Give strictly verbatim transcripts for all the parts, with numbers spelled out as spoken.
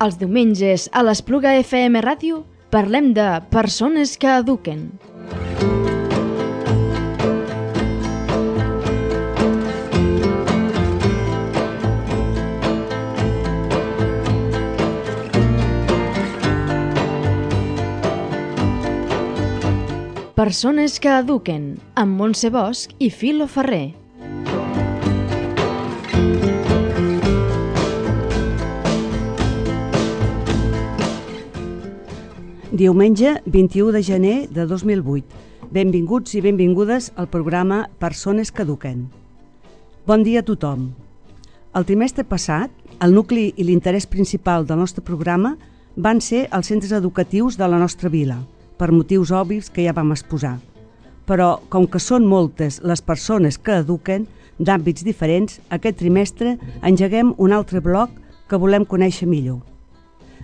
Els diumenges a l'Espluga F M Ràdio parlem de persones que eduquen. Persones que eduquen, amb Montse Bosch i Filo Ferrer. Diumenge vint-i-u de gener de dos mil vuit. Benvinguts i benvingudes al programa Persones que eduquen. Bon dia a tothom. El trimestre passat, el nucli i l'interès principal del nostre programa van ser els centres educatius de la nostra vila, per motius obvis que ja vam exposar. Però, com que són moltes les persones que eduquen, d'àmbits diferents, aquest trimestre engeguem un altre bloc que volem conèixer millor.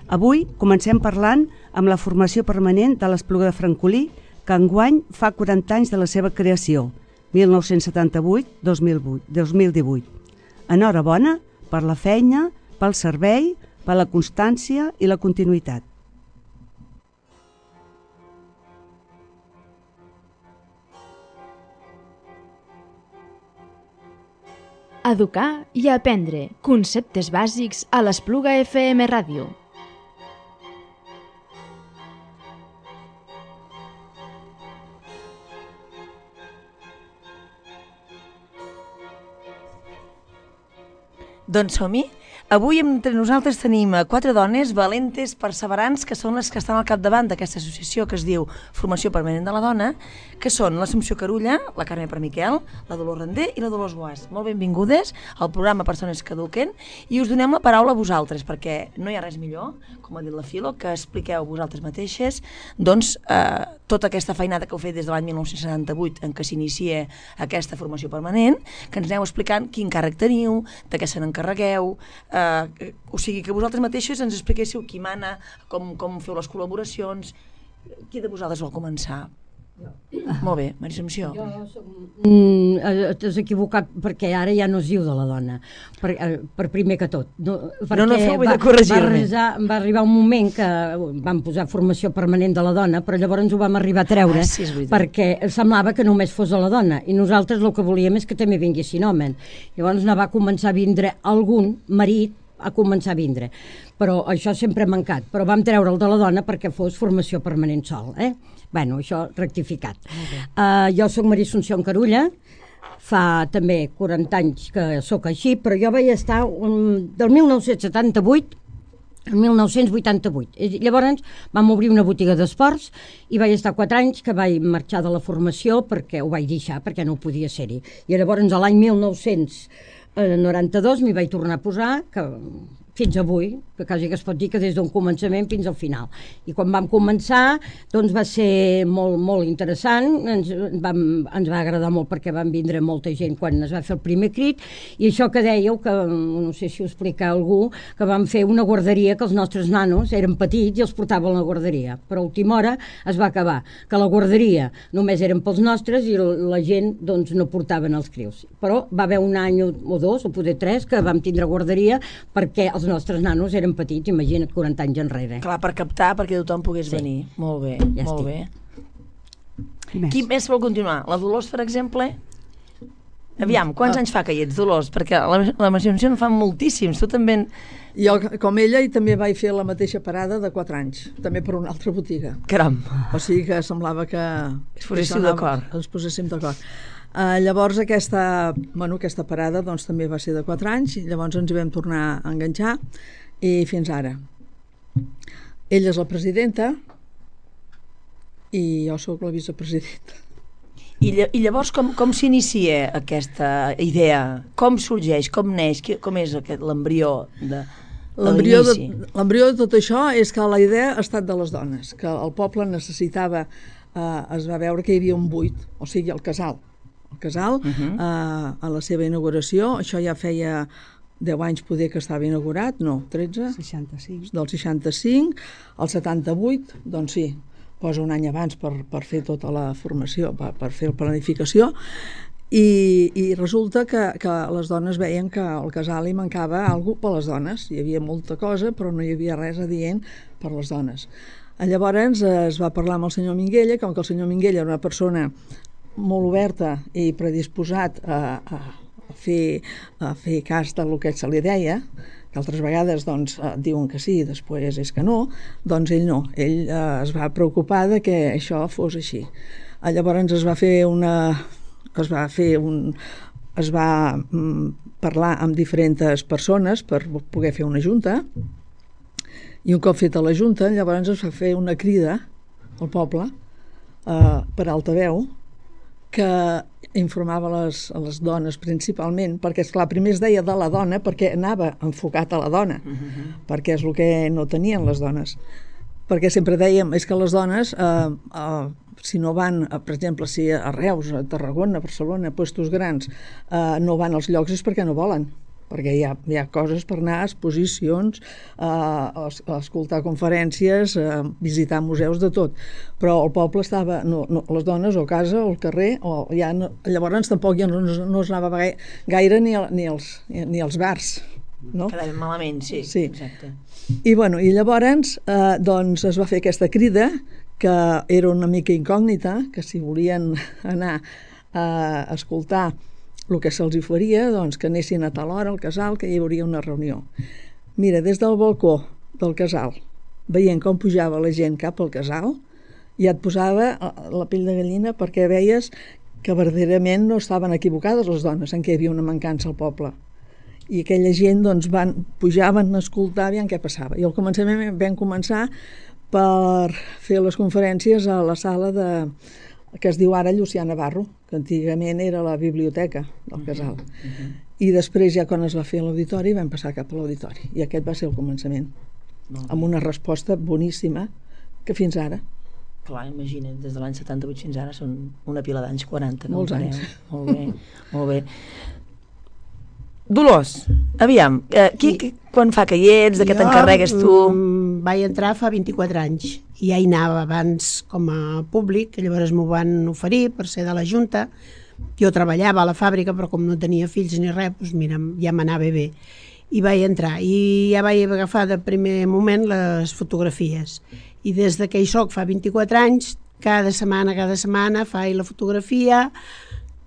Avui comencem parlant amb la formació permanent de l'Espluga de Francolí, que enguany fa quaranta anys de la seva creació, mil nou-cents setanta-vuit a dos mil divuit. Enhorabona per la feina, pel servei, per la constància i la continuïtat. Educar i aprendre conceptes bàsics a l'Espluga F M Ràdio. Doncs som-hi. Avui entre nosaltres tenim quatre dones valentes, perseverants, que són les que estan al capdavant d'aquesta associació que es diu Formació Permanent de la Dona, que són l'Assumpció Carulla, la Carme Permiquel, la Dolors Render i la Dolors Guàs. Molt benvingudes al programa Persones que eduquen i us donem la paraula a vosaltres, perquè no hi ha res millor, com ha dit la Filo, que expliqueu vosaltres mateixes doncs, eh, tota aquesta feinada que heu fet des de l'any mil nou-cents setanta-vuit en què s'inicia aquesta formació permanent, que ens aneu explicant quin càrrec teniu, de què se n'encarregueu, Uh, o sigui, que vosaltres mateixes ens expliquéssiu qui mana, com, com feu les col·laboracions. Qui de vosaltres vol començar? Jo. Molt bé, Maria Assumpció. Jo som... Mm, t'has equivocat perquè ara ja no es diu de la dona, per, per primer que tot. No, no, no feu bé de corregir-me. Va, va arribar un moment que vam posar formació permanent de la dona, però llavors ho vam arribar a treure, ah, sí, perquè semblava que només fos a la dona, i nosaltres el que volíem és que també vinguessin homes. Llavors ne va començar a vindre algun marit, a començar a vindre, però això sempre ha mancat, però vam treure el de la dona perquè fos formació permanent sol, eh? Bueno, això rectificat. Uh, jo soc Maria Assumpció Carulla, fa també quaranta anys que sóc així, però jo vaig estar um, del mil nou-cents setanta-vuit al mil nou-cents vuitanta-vuit. Llavors vam obrir una botiga d'esports i vaig estar quatre anys que vaig marxar de la formació perquè ho vaig deixar, perquè no podia ser-hi. I llavors a l'any mil nou-cents noranta-dos m'hi vaig tornar a posar, que fins avui, que quasi que es pot dir que des d'un començament fins al final. I quan vam començar, doncs va ser molt, molt interessant, ens, vam, ens va agradar molt perquè van vindre molta gent quan es va fer el primer crit, i això que dèieu, que no sé si ho explica algú, que vam fer una guarderia que els nostres nanos eren petits i els portaven a la guarderia, però a última hora es va acabar, que la guarderia només eren pels nostres i la gent doncs no portaven els crios. Però va haver un any o dos, o poder tres, que vam tindre guarderia perquè els nostres nanos eren petits, imagina't quaranta anys enrere. Clar, per captar, perquè tothom pogués sí. venir. Molt bé, ja molt estic. bé. Més. Qui més vol continuar? La Dolors, per exemple? Aviam, quants ah. anys fa que hi ets, Dolors? Perquè la, la Assumpció en fa moltíssims, tu també... Jo, com ella, i també vaig fer la mateixa parada de quatre anys, també per una altra botiga. Caram! O sigui que semblava que... Es poséssim d'acord. Ens poséssim d'acord. Uh, llavors aquesta, bueno, aquesta parada doncs, també va ser de quatre anys, i llavors ens hi vam tornar a enganxar i fins ara. Ella és la presidenta i jo sóc la vicepresidenta. I, i llavors com, com s'inicia aquesta idea? Com sorgeix? Com neix? Com és l'embrió de l'embrió de, l'embrió de tot això és que la idea ha estat de les dones, que el poble necessitava, eh, es va veure que hi havia un buit, o sigui, el casal. El casal, uh-huh. eh, a la seva inauguració, això ja feia deu anys poder que estava inaugurat, no, tretze? seixanta-cinc. Del seixanta-cinc, al setanta-vuit, doncs sí, posa un any abans per, per fer tota la formació, per, per fer la planificació, I, i resulta que, que les dones veien que al casal hi mancava alguna per les dones. Hi havia molta cosa, però no hi havia res adient per les dones. Llavors es va parlar amb el senyor Minguella, com que el senyor Minguella era una persona molt oberta i predisposat a, a, a, fer, a fer cas del que se li deia, que altres vegades doncs, diuen que sí i després és que no, doncs ell no. Ell eh, es va preocupar de que això fos així. Llavors es va fer una... es va fer un... es va mm, parlar amb diferents persones per poder fer una junta, i un cop feta la junta, llavors es va fer una crida al poble eh, per altaveu, que informava les, a les dones principalment, perquè esclar, primer es deia de la dona perquè anava enfocat a la dona, uh-huh. perquè és el que no tenien les dones. Perquè sempre dèiem, és que les dones, eh, eh, si no van, eh, per exemple, si a Reus, a Tarragona, a Barcelona, a puestos grans, eh, no van als llocs és perquè no volen, perquè hi ha, hi ha coses per anar, exposicions, eh, a, a escoltar conferències, a visitar museus, de tot. Però el poble estava, no, no, les dones o a casa o al carrer, o ja no, llavors tampoc ja no, no es anava gaire, gaire ni, al, ni, als, ni als bars. No? Quedava malament, sí, sí. Exacte. I, bueno, i llavors eh, doncs es va fer aquesta crida, que era una mica incògnita, que si volien anar a escoltar el que se'ls oferia, doncs que anessin a tal hora al casal, que hi hauria una reunió. Mira, des del balcó del casal, veient com pujava la gent cap al casal, ja et posava la pell de gallina, perquè veies que verdaderament no estaven equivocades les dones en què hi havia una mancança al poble. I aquella gent doncs, van, pujaven a escoltar, aviam què passava. I al començament vam començar per fer les conferències a la sala de, que es diu ara Llucià Navarro, que antigament era la biblioteca del casal. Uh-huh, uh-huh. I després, ja quan es va fer l'auditori, vam passar cap a l'auditori. I aquest va ser el començament, uh-huh. amb una resposta boníssima, que fins ara. Clar, imagina't, des de l'any setanta-vuit fins ara són una pila d'anys, quaranta. Molts anys. Molt bé, molt bé. Dolors, aviam, eh, qui, qui, quan fa que hi ets, de què t'encarregues tu? Mm, vaig entrar fa vint-i-quatre anys i ja hi anava abans com a públic, que llavors m'ho van oferir per ser de la Junta. Jo treballava a la fàbrica, però com no tenia fills ni res, doncs mira, ja m'anava bé. I vaig entrar, i ja vaig agafar de primer moment les fotografies. I des que hi soc fa vint-i-quatre anys, cada setmana, cada setmana faig la fotografia.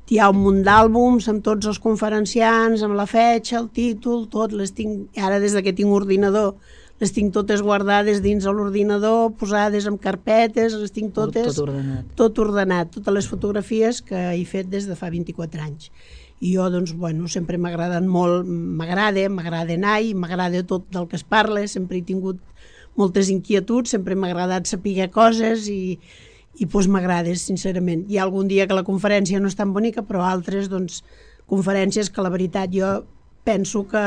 Hi ha un munt d'àlbums amb tots els conferenciants, amb la fetge, el títol, tot, les tinc, ara des que tinc ordinador, les tinc totes guardades dins de l'ordinador, posades en carpetes, les tinc totes... Tot ordenat. Tot ordenat, totes les fotografies que he fet des de fa vint-i-quatre anys. I jo, doncs, bueno, sempre m'agraden molt, m'agrada, m'agrada anar i m'agrada tot del que es parla, sempre he tingut moltes inquietuds, sempre m'ha agradat saber coses i... i doncs m'agrada, sincerament. Hi ha algun dia que la conferència no és tan bonica, però altres, doncs, conferències que la veritat jo penso que,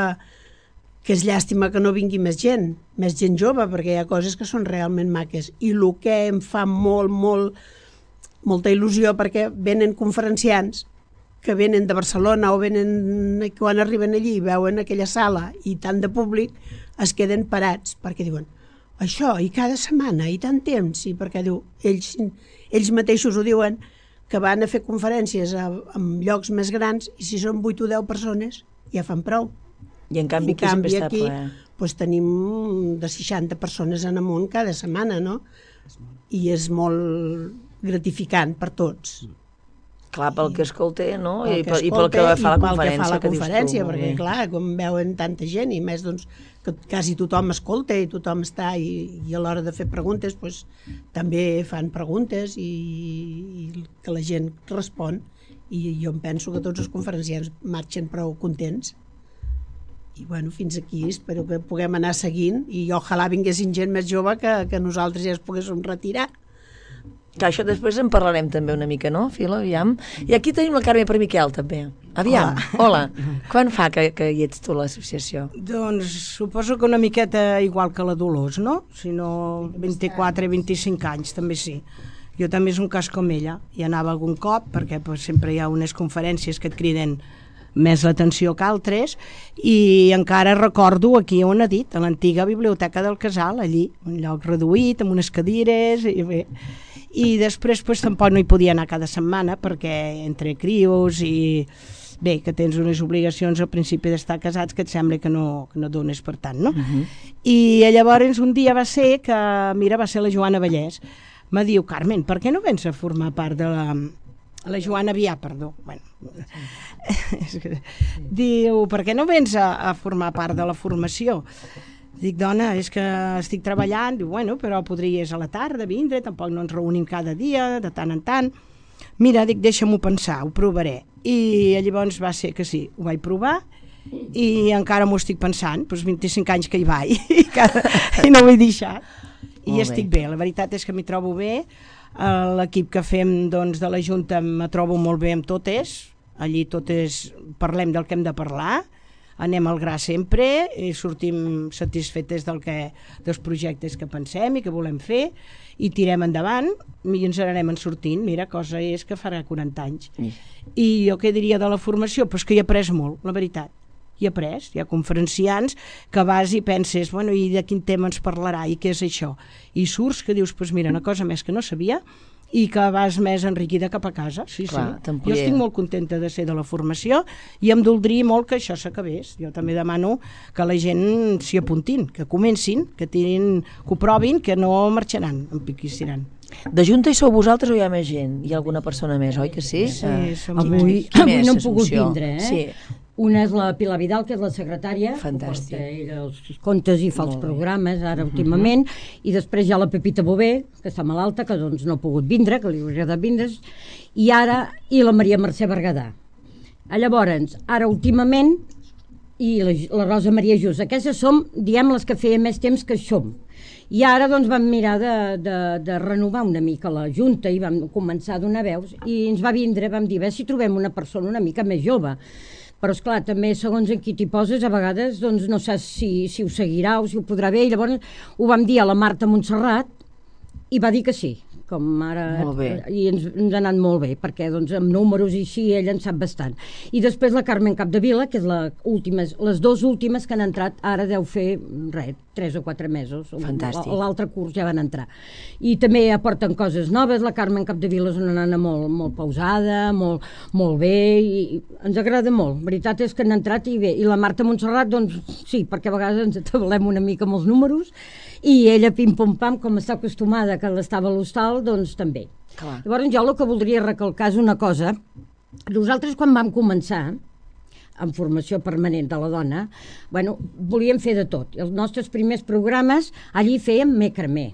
que és llàstima que no vingui més gent, més gent jove, perquè hi ha coses que són realment maques. I el que em fa molt, molt, molta il·lusió, perquè venen conferenciants que venen de Barcelona o venen, quan arriben allí i veuen aquella sala i tant de públic, es queden parats, perquè diuen això, i cada setmana, i tant temps, i perquè diu, ells, ells mateixos ho diuen, que van a fer conferències a, en llocs més grans, i si són vuit o deu persones, ja fan prou. I en canvi, I en aquí canvi sempre aquí, està ple. Doncs tenim de seixanta persones en amunt cada setmana, no? I és molt gratificant per tots. Clar, pel que escolta, no? I, que I pel que fa la conferència, que, fa la que conferència dius tu. Perquè, clar, com veuen tanta gent, i més, doncs, que quasi tothom escolta i tothom està, i, i a l'hora de fer preguntes, doncs, també fan preguntes i, i que la gent respon. I jo em penso que tots els conferenciants marxen prou contents. I, bueno, fins aquí espero que puguem anar seguint, i ojalà vinguessin gent més jove que, que nosaltres ja es poguéssim retirar. Que això després en parlarem també una mica, no, Fila? Aviam. I aquí tenim la Carme Permiquel, també. Aviam, hola. hola. Quan fa que, que hi ets tu a l'associació? Doncs suposo que una miqueta igual que la Dolors, no? Si no vint-i-quatre vint-i-cinc anys, també sí. Jo també és un cas com ella. Hi anava algun cop, perquè pues, sempre hi ha unes conferències que et criden més l'atenció que altres, i encara recordo aquí on ha dit, a l'antiga biblioteca del casal, allí, un lloc reduït, amb unes cadires, i bé... i després pues, tampoc no hi podia anar cada setmana perquè entre crios i bé, que tens unes obligacions al principi d'estar casats que et sembla que no, que no dones per tant, no? Uh-huh. I llavors un dia va ser que, mira, va ser la Joana Vallès, me diu, Carmen, per què no vens a formar part de la... la Joana Vià, perdó. Bueno, sí. Diu, per què no vens a, a formar part de la formació? Dic, dona, és que estic treballant. Diu, bueno, però podries a la tarda vindre, tampoc no ens reunim cada dia, de tant en tant. Mira, dic, deixa'm-ho pensar, ho provaré. I llavors va ser que sí, ho vaig provar i encara m'ho estic pensant, doncs vint-i-cinc anys que hi vaig i, cada, i no ho he deixat. I Molt estic bé. bé, la veritat és que m'hi trobo bé. L'equip que fem doncs, de la Junta me trobo molt bé amb totes, allí totes parlem del que hem de parlar, anem al gra sempre i sortim satisfetes del que, dels projectes que pensem i que volem fer i tirem endavant i ens n'anem en sortint. Mira, cosa és que farà quaranta anys. Mm. I jo què diria de la formació? Pues que hi he après molt, la veritat. Hi he après, hi ha conferenciants que vas i penses, bueno, i de quin tema ens parlarà i què és això? I surts que dius, pues mira, una cosa més que no sabia i que vas més enriquida cap a casa. Sí, Clar, sí. Jo estic molt contenta de ser de la formació i em doldria molt que això s'acabés. Jo també demano que la gent s'hi apuntin, que comencin, que tirin, que ho provin, que no marxaran, en piquissiran. De Junta hi sou vosaltres o hi ha més gent? Hi ha alguna persona més, oi que sí? Sí, Uh, som Avui, Qui avui més, no hem pogut Assumpció? vindre, eh? Sí. Una és la Pilar Vidal, que és la secretària, Fantàstic. que porta ella els contes i fa els Molt bé. programes, ara últimament, i després hi ha la Pepita Bové, que està malalta, que doncs no ha pogut vindre, que li hauria de vindre, i ara, i la Maria Mercè Berguedà. Llavors, ara últimament, i la, la Rosa Maria Just, aquestes som, diem, les que feia més temps que som. I ara doncs vam mirar de, de, de renovar una mica la Junta i vam començar a donar veus i ens va vindre, vam dir, a veure si trobem una persona una mica més jove. Però esclar, també segons en qui t'hi poses, a vegades doncs, no saps si, si ho seguirà o si ho podrà bé, i llavors ho vam dir a la Marta Montserrat i va dir que sí, com ara, Molt bé. i ens, ens ha anat molt bé, perquè doncs, amb números i així ella en sap bastant. I després la Carmen Capdevila, que és la última, les dues últimes que han entrat, ara deu fer res, tres o quatre mesos. Fantàstic. L'altre curs ja van entrar. I també aporten coses noves. La Carmen Capdevila és una nana molt, molt pausada, molt, molt bé, i ens agrada molt. La veritat és que han entrat i bé. I la Marta Montserrat, doncs sí, perquè a vegades ens atabalem una mica amb els números, i ella, pim-pom-pam, com està acostumada que l'estava a l'hostal, doncs també. Clar. Llavors jo el que voldria recalcar és una cosa. Nosaltres quan vam començar en formació permanent de la dona, bueno, volíem fer de tot. Els nostres primers programes allí fèiem macramé,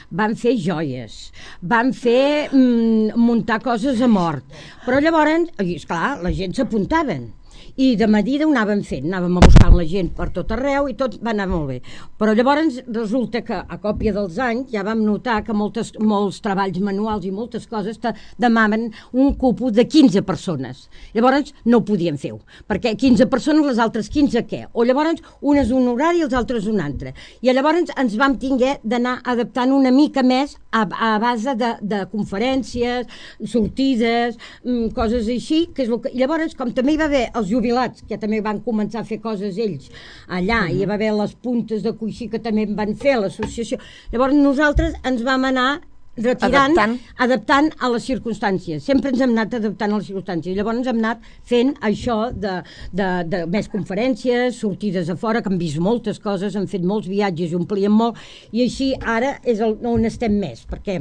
van fer joies, van fer mm, muntar coses a mort, però llavors, esclar, la gent s'apuntaven i de medida ho anàvem fent, anàvem a buscar la gent per tot arreu i tot va anar molt bé. Però llavors resulta que a còpia dels anys ja vam notar que moltes, molts treballs manuals i moltes coses te demanen un cupo de quinze persones. Llavors no ho podíem fer, perquè quinze persones, les altres quinze què? O llavors unes un horari i els altres un altre. I llavors ens vam tinguer d'anar adaptant una mica més a, a base de, de conferències, sortides, mmm, coses així, que és el que... I llavors, com també hi va haver els jubilats, que també van començar a fer coses ells allà, uh-huh. i hi va haver les puntes de coixí que també van fer l'associació. Llavors nosaltres ens vam anar retirant, adaptant. adaptant a les circumstàncies. Sempre ens hem anat adaptant a les circumstàncies. Llavors ens hem anat fent això de, de, de més conferències, sortides a fora, que hem vist moltes coses, hem fet molts viatges i omplíem molt, i així ara és el, on estem més, perquè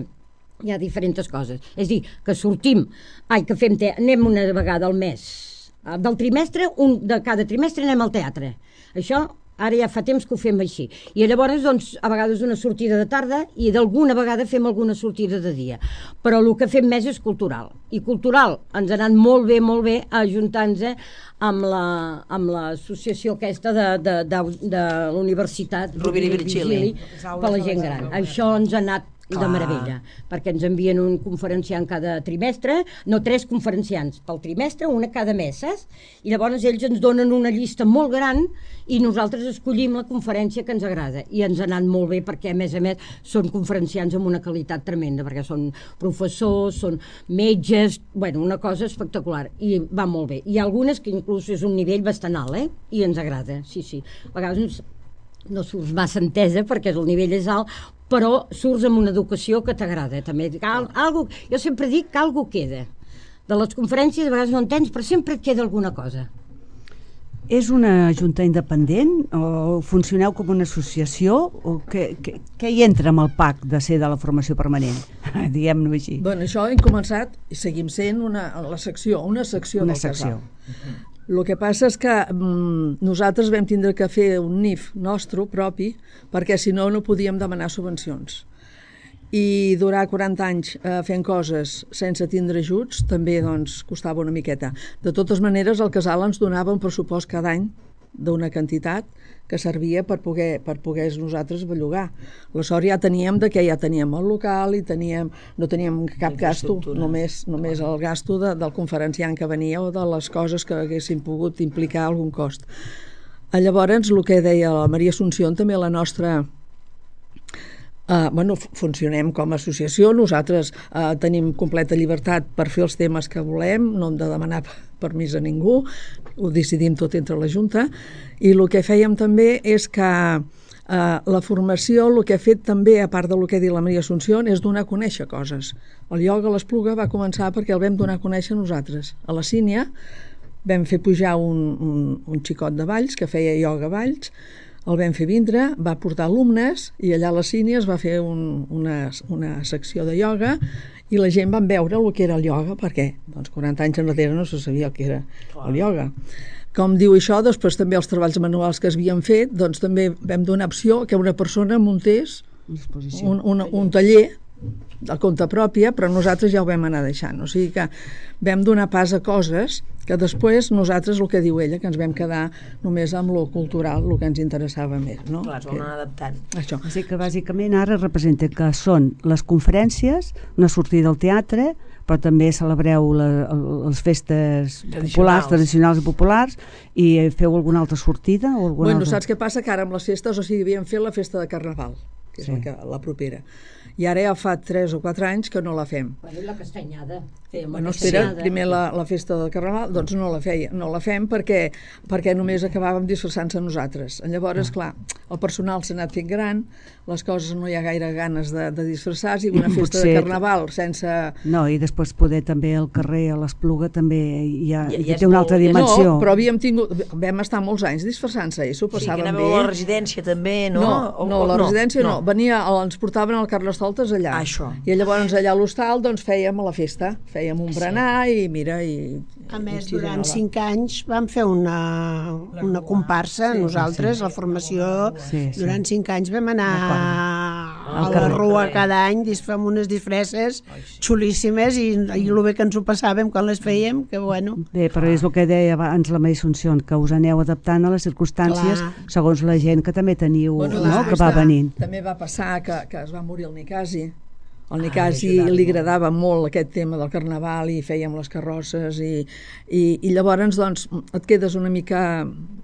hi ha diferents coses. És a dir, que sortim, ai, que fem te, anem una vegada al mes, del trimestre, un, de cada trimestre anem al teatre. Això ara ja fa temps que ho fem així. I llavors, doncs, a vegades una sortida de tarda i d'alguna vegada fem alguna sortida de dia. Però el que fem més és cultural. I cultural ens ha anat molt bé, molt bé, ajuntant-nos amb la, amb l'associació aquesta de, de, de, de la Universitat Rovira i Virgili per la gent gran. Això ens ha anat Clar. de meravella, perquè ens envien un conferenciant cada trimestre, no tres conferenciants pel trimestre, una cada mes, saps? I llavors ells ens donen una llista molt gran i nosaltres escollim la conferència que ens agrada, i ens ha anat molt bé perquè a més a més són conferenciants amb una qualitat tremenda, perquè són professors, són metges, bueno, una cosa espectacular, i va molt bé. Hi ha algunes que inclús és un nivell bastant alt, eh? I ens agrada, sí, sí. A vegades no surts massa entesa perquè el nivell és alt, però surts amb una educació que t'agrada, també. Al, algo, jo sempre dic que algo queda. De les conferències a vegades no en tens, però sempre et queda alguna cosa. És una junta independent o funcioneu com una associació o què, què, què hi entra amb el P A C de ser de la formació permanent? Diguem-ho així. Bueno, això hem començat i seguim sent una, la secció, una secció una del secció. casal. El que passa és que mm, nosaltres vam tindre que fer un N I F nostre propi perquè si no no podíem demanar subvencions. I durar quaranta anys eh, fent coses sense tindre ajuts també doncs, costava una miqueta. De totes maneres, el casal ens donava un pressupost cada any d'una quantitat que servia per poder, per poder nosaltres bellugar. La sort ja teníem de que ja teníem el local i teníem, no teníem cap gasto, només, només el gasto de, del conferenciant que venia o de les coses que haguessin pogut implicar algun cost. Llavors, el que deia la Maria Assumpció, també la nostra... Uh, bueno, funcionem com a associació, nosaltres uh, tenim completa llibertat per fer els temes que volem, no hem de demanar permís a ningú, ho decidim tot entre la Junta, i el que fèiem també és que uh, la formació, el que ha fet també, a part del que ha dit la Maria Assumpció, és donar a conèixer coses. El ioga a l'Espluga va començar perquè el vam donar a conèixer nosaltres. A la Sínia vam fer pujar un, un, un xicot de Valls que feia ioga a Valls, el vam fer vindre, va portar alumnes i allà a la Sínia es va fer un, una, una secció de ioga i la gent van veure el que era el ioga perquè doncs, quaranta anys enrere no se sabia el que era el ioga. Com diu això, després també els treballs manuals que es havien fet, doncs també vam donar opció que una persona muntés un, un, un taller de compte pròpia, però nosaltres ja ho vam anar deixant. O sigui que vam donar pas a coses que després nosaltres, el que diu ella, que ens vam quedar només amb lo cultural, el que ens interessava més. No? Clar, es van anar adaptant. Això. Així que bàsicament ara representa que són les conferències, una sortida al teatre, però també celebreu la, les festes populars, tradicionals i populars, i feu alguna altra sortida? O alguna bueno, altra... saps què passa? Que ara amb les festes, o sigui, havíem fet la festa de Carnaval, que és sí. la, que, la propera. I ara ja fa tres o quatre anys que no la fem. Bueno, la castanyada. Bueno, espera, primer la, la festa del Carnaval, doncs no la feia, no la fem perquè, perquè només acabàvem disfressant-se nosaltres. Llavors, ah. clar, el personal s'ha anat fent gran, les coses no hi ha gaire ganes de, de disfressar-se, i una festa Potser... de Carnaval sense... No, i després poder també al carrer, a l'Espluga, també hi ha, ja, ja té una altra dimensió. No, però havíem tingut, vam estar molts anys disfressant-se i s'ho passàvem bé. Sí, que bé. a la residència també, no? No, o, no o, la residència no. no. Venia, ens portaven al Carnestoltes allà. Ah, això. I llavors allà a l'hostal doncs fèiem a la festa, fèiem un berenar i mira... I, a més, durant cinc anys vam fer una, una comparsa, sí, nosaltres, sí. la formació, sí, sí. durant cinc anys vam anar a la Rua cada any, fem unes disfresses xulíssimes i, i el bé que ens ho passàvem quan les fèiem, que bueno... Bé, però és el que deia abans la Maria Assumpció, que us aneu adaptant a les circumstàncies Clar. segons la gent que també teniu, bueno, no? que va venint. També va passar que, que es va morir el Nicasi. Al Nicasi ah, li agradava molt aquest tema del Carnaval i fèiem les carrosses i, i, i llavors doncs, et quedes una mica,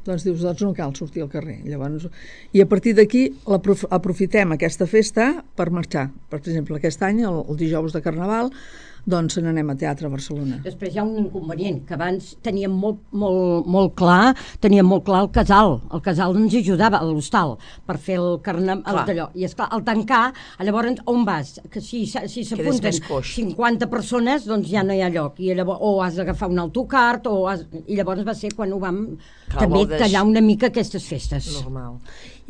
doncs dius, doncs no cal sortir al carrer. Llavors, i a partir d'aquí aprofitem aquesta festa per marxar. Per exemple, aquest any, el, el dijous de Carnaval, doncs n'anem a teatre a Barcelona. Després hi ha un inconvenient, que abans teníem molt, molt, molt clar, teníem molt clar el casal. El casal ens ajudava, a l'hostal, per fer el carnaval d'allò. I esclar, al tancar, llavors on vas? Que si, si s'apunten cinquanta persones, doncs ja no hi ha lloc. I llavors, o has d'agafar un autocar, o has... i llavors va ser quan ho vam clar, també tallar una mica aquestes festes. Normal.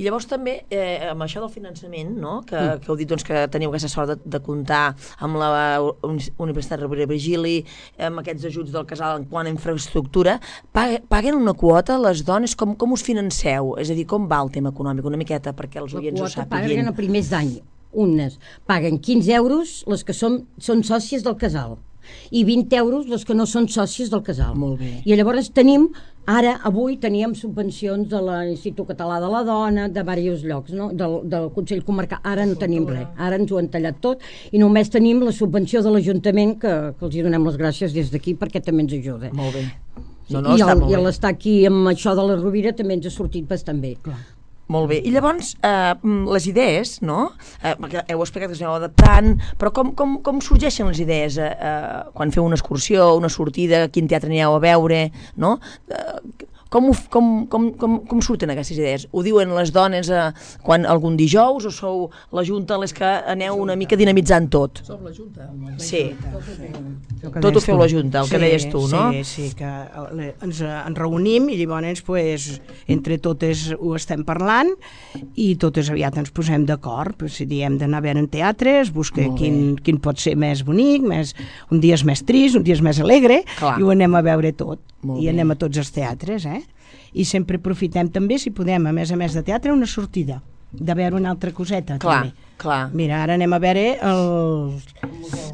I llavors també, eh, amb això del finançament, no? que, mm. que heu dit doncs, que teniu aquesta sort de, de comptar amb la Universitat Rovira i Virgili, amb aquests ajuts del casal en quant a infraestructura, paguen una quota les dones? Com, com us financeu? És a dir, com va el tema econòmic? Una miqueta perquè els oients ho sàpiguen. La quota paguen a primers d'any. Unes paguen quinze euros les que són, són sòcies del casal i vint euros les que no són sòcies del casal. Molt bé. I llavors tenim, ara, avui teníem subvencions de l'Institut Català de la Dona, de diversos llocs, no? del, del Consell Comarcal. Ara no tenim res, ara ens ho han tallat tot i només tenim la subvenció de l'Ajuntament que, que els hi donem les gràcies des d'aquí perquè també ens ajuda. Molt bé. No, no, I el, i l'estar aquí amb això de la Rovira també ens ha sortit bastant bé. Clar. Molt bé. I llavors, eh, les idees, no? Eh, perquè heu explicat que us aneu adaptant, però com, com, com sorgeixen les idees eh, quan feu una excursió, una sortida, quin teatre anireu a veure, no? Eh, Com, ho, com, com, com, com surten aquestes idees? Ho diuen les dones eh, quan algun dijous o sou la Junta les que aneu una mica dinamitzant tot? Som la Junta. Sí. Tot ho feu la Junta, el que deies tu, no? Sí, sí, que ens, ens reunim i llavors pues, entre totes ho estem parlant i totes aviat ens posem d'acord. Pues, si diem d'anar a veure en teatre, es busca quin, quin pot ser més bonic, més, un dia és més trist, un dia és més alegre, Clar. I ho anem a veure tot. Molt I bé. Anem a tots els teatres, eh? I sempre aprofitem també, si podem, a més a més de teatre, una sortida, de veure una altra coseta. Clar, també. clar. Mira, ara anem a veure el,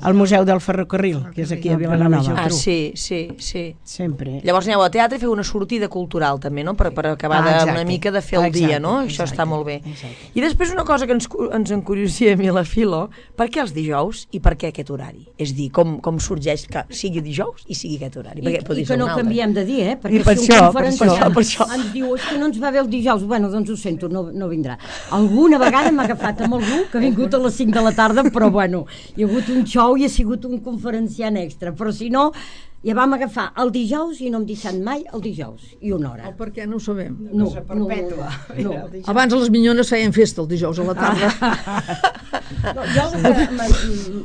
el Museu del Ferrocarril, que és aquí a Vilanova. Ah, sí, sí, sí. Sempre. Llavors aneu a teatre i feu una sortida cultural també, no? Per, per acabar ah, de, una mica de fer el exacte, dia, no? Exacte, Això està molt bé. Exacte. I després una cosa que ens, ens encuriosia a mi la Filo, per què els dijous i per què aquest horari? És dir, com, com sorgeix que sigui dijous i sigui aquest horari? I, i que no canviem de dir, eh? Perquè I per si això, un conferenciant per això, per això. ens diu és que no ens va bé el dijous, bueno, doncs ho sento, no, no vindrà. Alguna vegada m'ha agafat amb algú que ha vingut a les cinc de la tarda, però bueno, hi ha hagut un show i ha sigut un conferenciant extra, però si no, ja vam agafar el dijous i no hem deixat mai el dijous, i una hora. El per què no ho sabem. No, no, no, no. Abans les minyones feien festa el dijous a la tarda. No, jo el que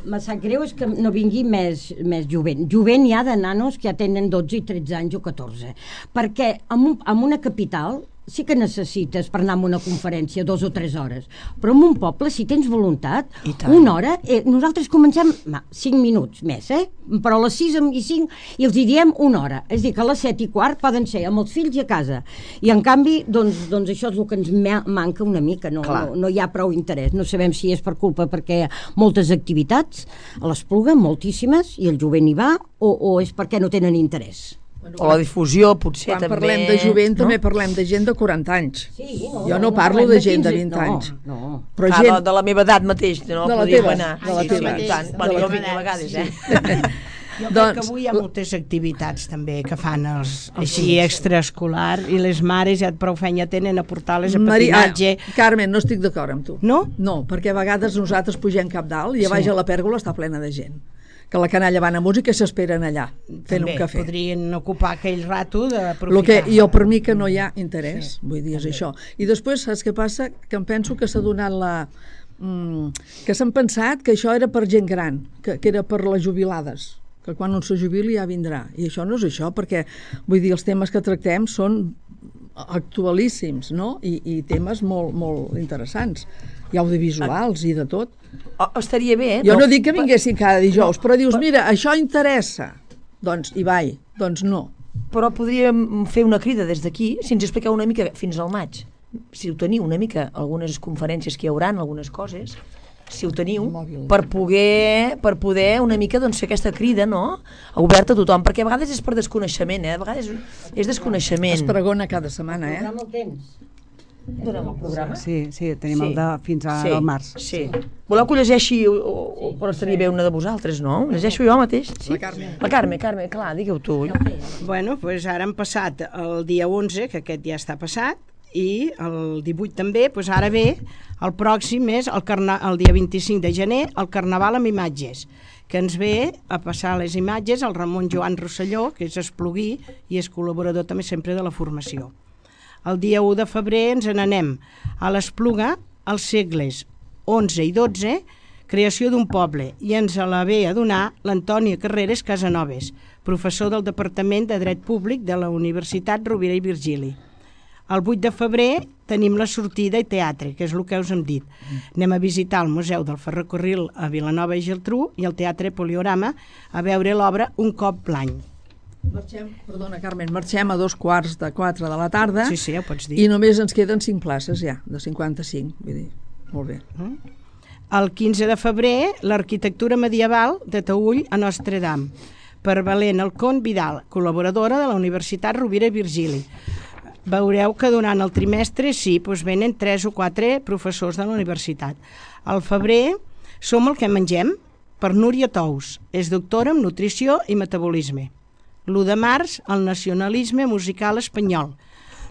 me sap greu és que no vingui més, més jovent. Jovent hi ha de nanos que ja tenen dotze i tretze anys o catorze, perquè en, un, en una capital sí que necessites per anar a una conferència dos o tres hores, però en un poble, si tens voluntat, una hora, eh, nosaltres comencem ma, cinc minuts més, eh? Però a les sis i cinc i els hi diem una hora, és a dir, que a les set i quart poden ser amb els fills i a casa, i en canvi, doncs, doncs això és el que ens manca una mica, no, no, no hi ha prou interès, no sabem si és per culpa perquè hi ha moltes activitats a l'Espluga, moltíssimes, i el jovent hi va, o, o és perquè no tenen interès. O la difusió, potser, Quan també... Quan parlem de jovent, no? També parlem de gent de quaranta anys. Sí, no, jo no, no parlo de gent quinze, de vint no, anys. No, però ah, gent... de, de la meva edat mateix, no? De la Podríem teva, anar. de la sí, teva. Sí, tant. Bueno, jo vinc a vegades, eh? Jo crec doncs, que avui hi ha moltes activitats també que fan els, així extraescolar i les mares ja prou feina tenen a portar-les a patinatge. Ah, Carmen, no estic d'acord amb tu. No? No, perquè a vegades nosaltres pugem cap dalt i a baix sí. a la pèrgola està plena de gent. Que la canalla van a música i s'esperen allà, fent també un cafè. Podrien ocupar aquell rato d'aprofitar. Lo que, jo per mi que no hi ha interès, sí, vull dir, és això. I després, saps què passa? Que em penso que s'ha donat la... Mm, que s'han pensat que això era per gent gran, que, que era per les jubilades, que quan un se jubili ja vindrà. I això no és això, perquè, vull dir, els temes que tractem són actualíssims, no? I, i temes molt, molt interessants. I audiovisuals i de tot. Oh, estaria bé, eh? Jo no dic que vinguessin cada dijous, però dius, mira, això interessa. Doncs hi vaig, doncs no. Però podríem fer una crida des d'aquí, si ens expliqueu una mica fins al maig. Si ho teniu una mica, algunes conferències que hi hauran, algunes coses, si ho teniu, per poder, per poder una mica doncs, fer aquesta crida, no? Oberta a tothom, perquè a vegades és per desconeixement, eh? A vegades és desconeixement. Es pregona cada setmana, eh? El temps. Donem el programa? Sí, sí, tenim sí. el de fins al sí. març. Sí. Voleu que ho llegeixi o, o, però estaria bé una de vosaltres, no? Ho llegeixo jo mateix? Sí? La Carme. La Carme, Carme, clar, digueu tu. Bueno, doncs ara hem passat el dia onze, que aquest ja està passat, i el divuit també, doncs ara ve, el pròxim és el, carna, el dia vint-i-cinc de gener, el Carnaval amb imatges, que ens ve a passar les imatges el Ramon Joan Rosselló, que és espluguí i és col·laborador també sempre de la formació. El dia u de febrer ens n'anem a l'Espluga, als segles onze i dotze, creació d'un poble, i ens la ve a donar l'Antònia Carreras Casanovas, professor del Departament de Dret Públic de la Universitat Rovira i Virgili. El vuit de febrer tenim la sortida i teatre, que és el que us hem dit. Anem a visitar el Museu del Ferrocarril a Vilanova i Geltrú i el Teatre Poliorama a veure l'obra Un cop l'any. Marxem, perdona Carmen, marxem a dos quarts de quatre de la tarda. Sí, sí, ja ho pots dir. I només ens queden cinc places ja, de cinquanta-cinc, vull dir, molt bé. Mm. El quinze de febrer, l'arquitectura medieval de Taüll a Nostre Dame, per Valent Alcón Vidal, col·laboradora de la Universitat Rovira i Virgili. Veureu que durant el trimestre sí, doncs venen tres o quatre professors de la universitat. Al febrer som el que mengem, per Núria Tous, és doctora en nutrició i metabolisme. l'u de març, el nacionalisme musical espanyol.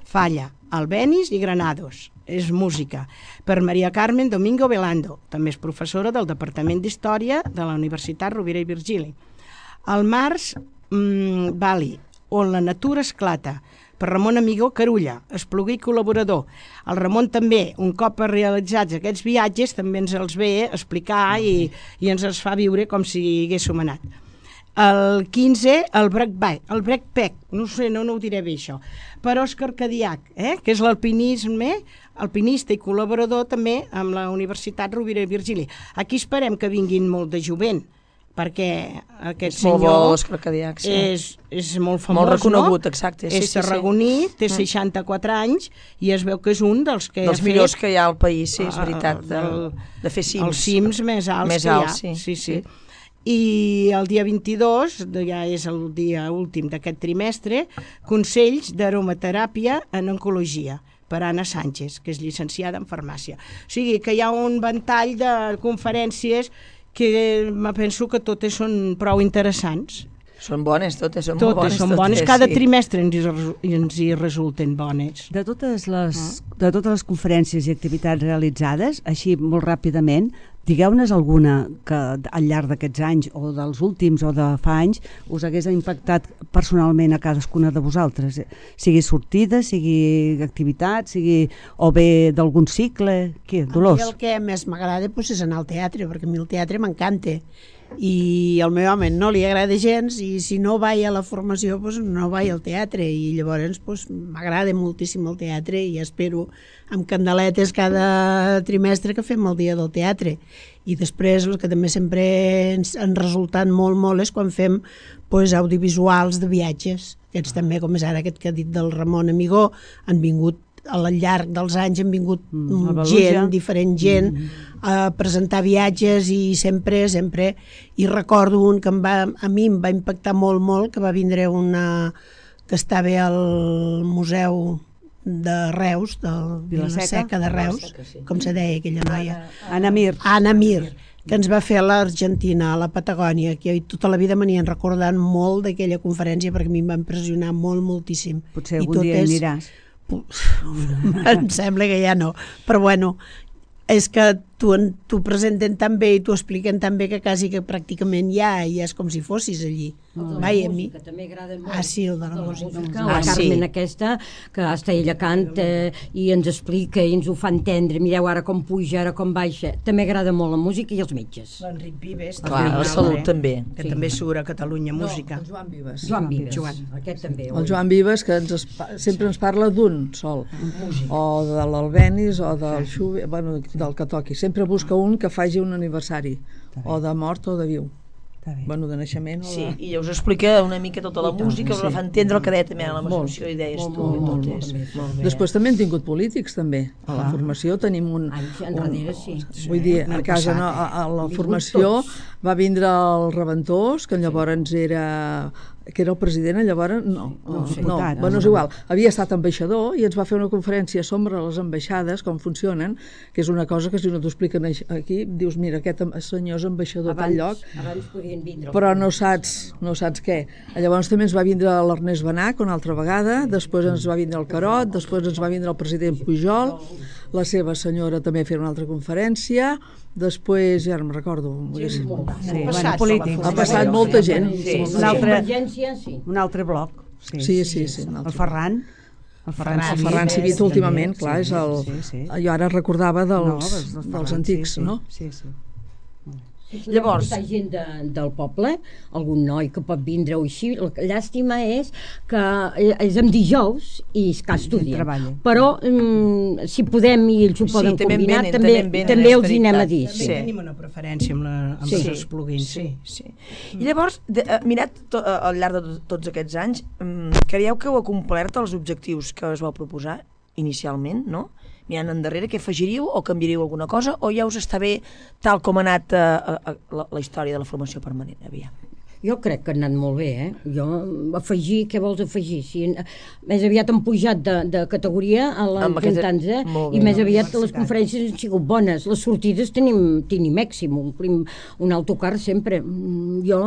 Falla, Albéniz i Granados. És música. Per Maria Carmen Domingo Velando, també és professora del Departament d'Història de la Universitat Rovira i Virgili. Al març, mmm, Bali, on la natura esclata, per Ramon Amigó Carulla, espluguer i col·laborador. El Ramon també, un cop realitzats aquests viatges, també ens els ve a explicar i, i ens els fa viure com si haguéssim anat. El quinze, el Breakback, el Breakpack, no sé, no, no ho diré bé això, per Òscar Cadiac, eh? Que és l'alpinisme, alpinista i col·laborador també amb la Universitat Rovira i Virgili. Aquí esperem que vinguin molt de jovent, perquè aquest és senyor molt bo, l'Òscar Cadiac, sí. és, és molt famós, molt reconegut, no? exacte. Sí, és sí, tarragoní, sí. té seixanta-quatre anys i es veu que és un dels que dels ha millors fet, que hi ha al país, sí, és veritat, de, del, de fer cims. els cims més alts més que alts, hi ha. sí. Sí, sí. I el dia vint-i-dos, ja és el dia últim d'aquest trimestre, consells d'aromateràpia en oncologia per Anna Sánchez, que és llicenciada en farmàcia. O sigui que hi ha un ventall de conferències que me penso que totes són prou interessants. Són bones totes, són totes molt bones. Són totes, bones, cada sí. trimestre ens hi, ens hi resulten bones. De totes, les, de totes les conferències i activitats realitzades, així molt ràpidament, digueu-nos alguna que al llarg d'aquests anys o dels últims o de fa anys us hagués impactat personalment a cadascuna de vosaltres, sigui sortida, sigui activitat, sigui o bé d'algun cicle, què, Dolors? A mi el que més m'agrada doncs, és anar al teatre, perquè a mi el teatre m'encanta i al meu home no li agrada gens i si no vaig a la formació doncs no vaig al teatre i llavors doncs, m'agrada moltíssim el teatre i espero amb candeletes cada trimestre que fem el dia del teatre i després el que també sempre ens han resultat molt molt és quan fem doncs, audiovisuals de viatges, aquests també com és ara aquest que ha dit del Ramon Amigó, han vingut al llarg dels anys han vingut mm, gent, diferent gent mm. a presentar viatges i sempre, sempre i recordo un que em va, a mi em va impactar molt, molt, que va vindre una que estava al museu de Reus, del Vila-seca de Reus, com se deia aquella noia? Anna Mir. Anna Mir, que ens va fer a l'Argentina, a la Patagònia, que tota la vida m'anien recordant molt d'aquella conferència perquè a mi em va impressionar molt, moltíssim. Potser algun dia hi aniràs. Em sembla que ja no, però bueno, és que t'ho presenten tan bé i t'ho expliquen tan bé que quasi que pràcticament ja, ja és com si fossis allí. El de Vai, la a mi. música també agrada molt. Ah, sí, el de la música. La Ah, sí. Carmen aquesta, que hasta ella canta i ens explica i ens ho fa entendre. Mireu ara com puja, ara com baixa. També agrada molt la música i els metges. L'Enric Vives. Clar, la salut també. Que també surt a Catalunya Música. No, el Joan Vives. Joan Vives, Joan. aquest també. El Joan Vives, que ens es, sempre ens parla d'un sol, o de l'Albenis o del Schubert, bueno, del que toqui. Sempre busca un que faci un aniversari, o de mort o de viu. Bueno, de naixement o de... Sí, i us explica una mica tota la música, us la fa entendre el que deia també a la formació i deies tu i totes. Després també hem tingut polítics, també. A la formació tenim un... Anys enrere, sí. Vull dir, a casa, no, a, a la formació va vindre el Reventós, que llavors era... que era el president, llavors no, no, no, bueno, és igual, havia estat ambaixador i ens va fer una conferència sobre les ambaixades, com funcionen, que és una cosa que si no t'ho expliquen aquí, dius, mira, aquest senyor és ambaixador a tal lloc, però no saps, no saps què. Llavors també ens va vindre l'Ernest Benach una altra vegada, després ens va vindre el Carot, després ens va vindre el president Pujol, la seva senyora també a fer una altra conferència, després, ja no me'n recordo, sí, sí, sí, bueno, polítics. Ha passat molta gent. Sí, sí. Un altre, sí. un altre bloc. Sí, sí, sí. sí el Ferran. El Ferran, el Ferran Civit últimament, clar, és el... Sí, sí. Jo ara recordava dels, no, dels, dels, dels antics, sí, sí, no? Sí, sí. Llavors, gent de, del poble, algun noi que pot vindre o així, la llàstima és que és en dijous i és que estudien, però mm, si podem i ells ho sí, poden també combinar, venen, també, també, també els hi anem a dir. També Sí. tenim una preferència amb, la, amb Sí. els plugins, sí. Sí. I llavors, de, uh, mirat to, uh, al llarg de tots aquests anys, um, creieu que heu complert els objectius que us vau proposar inicialment, no? Mirant endarrere, què afegiríeu o canviaríeu alguna cosa o ja us està bé tal com ha anat uh, uh, la, la història de la formació permanent? Aviam. Jo crec que ha anat molt bé, eh? Jo, afegir, què vols afegir? Si, més aviat han pujat de, de categoria a la cantança i més aviat les conferències han sigut bones. Les sortides tenim, tenim èxim, omplim un autocar sempre. Jo,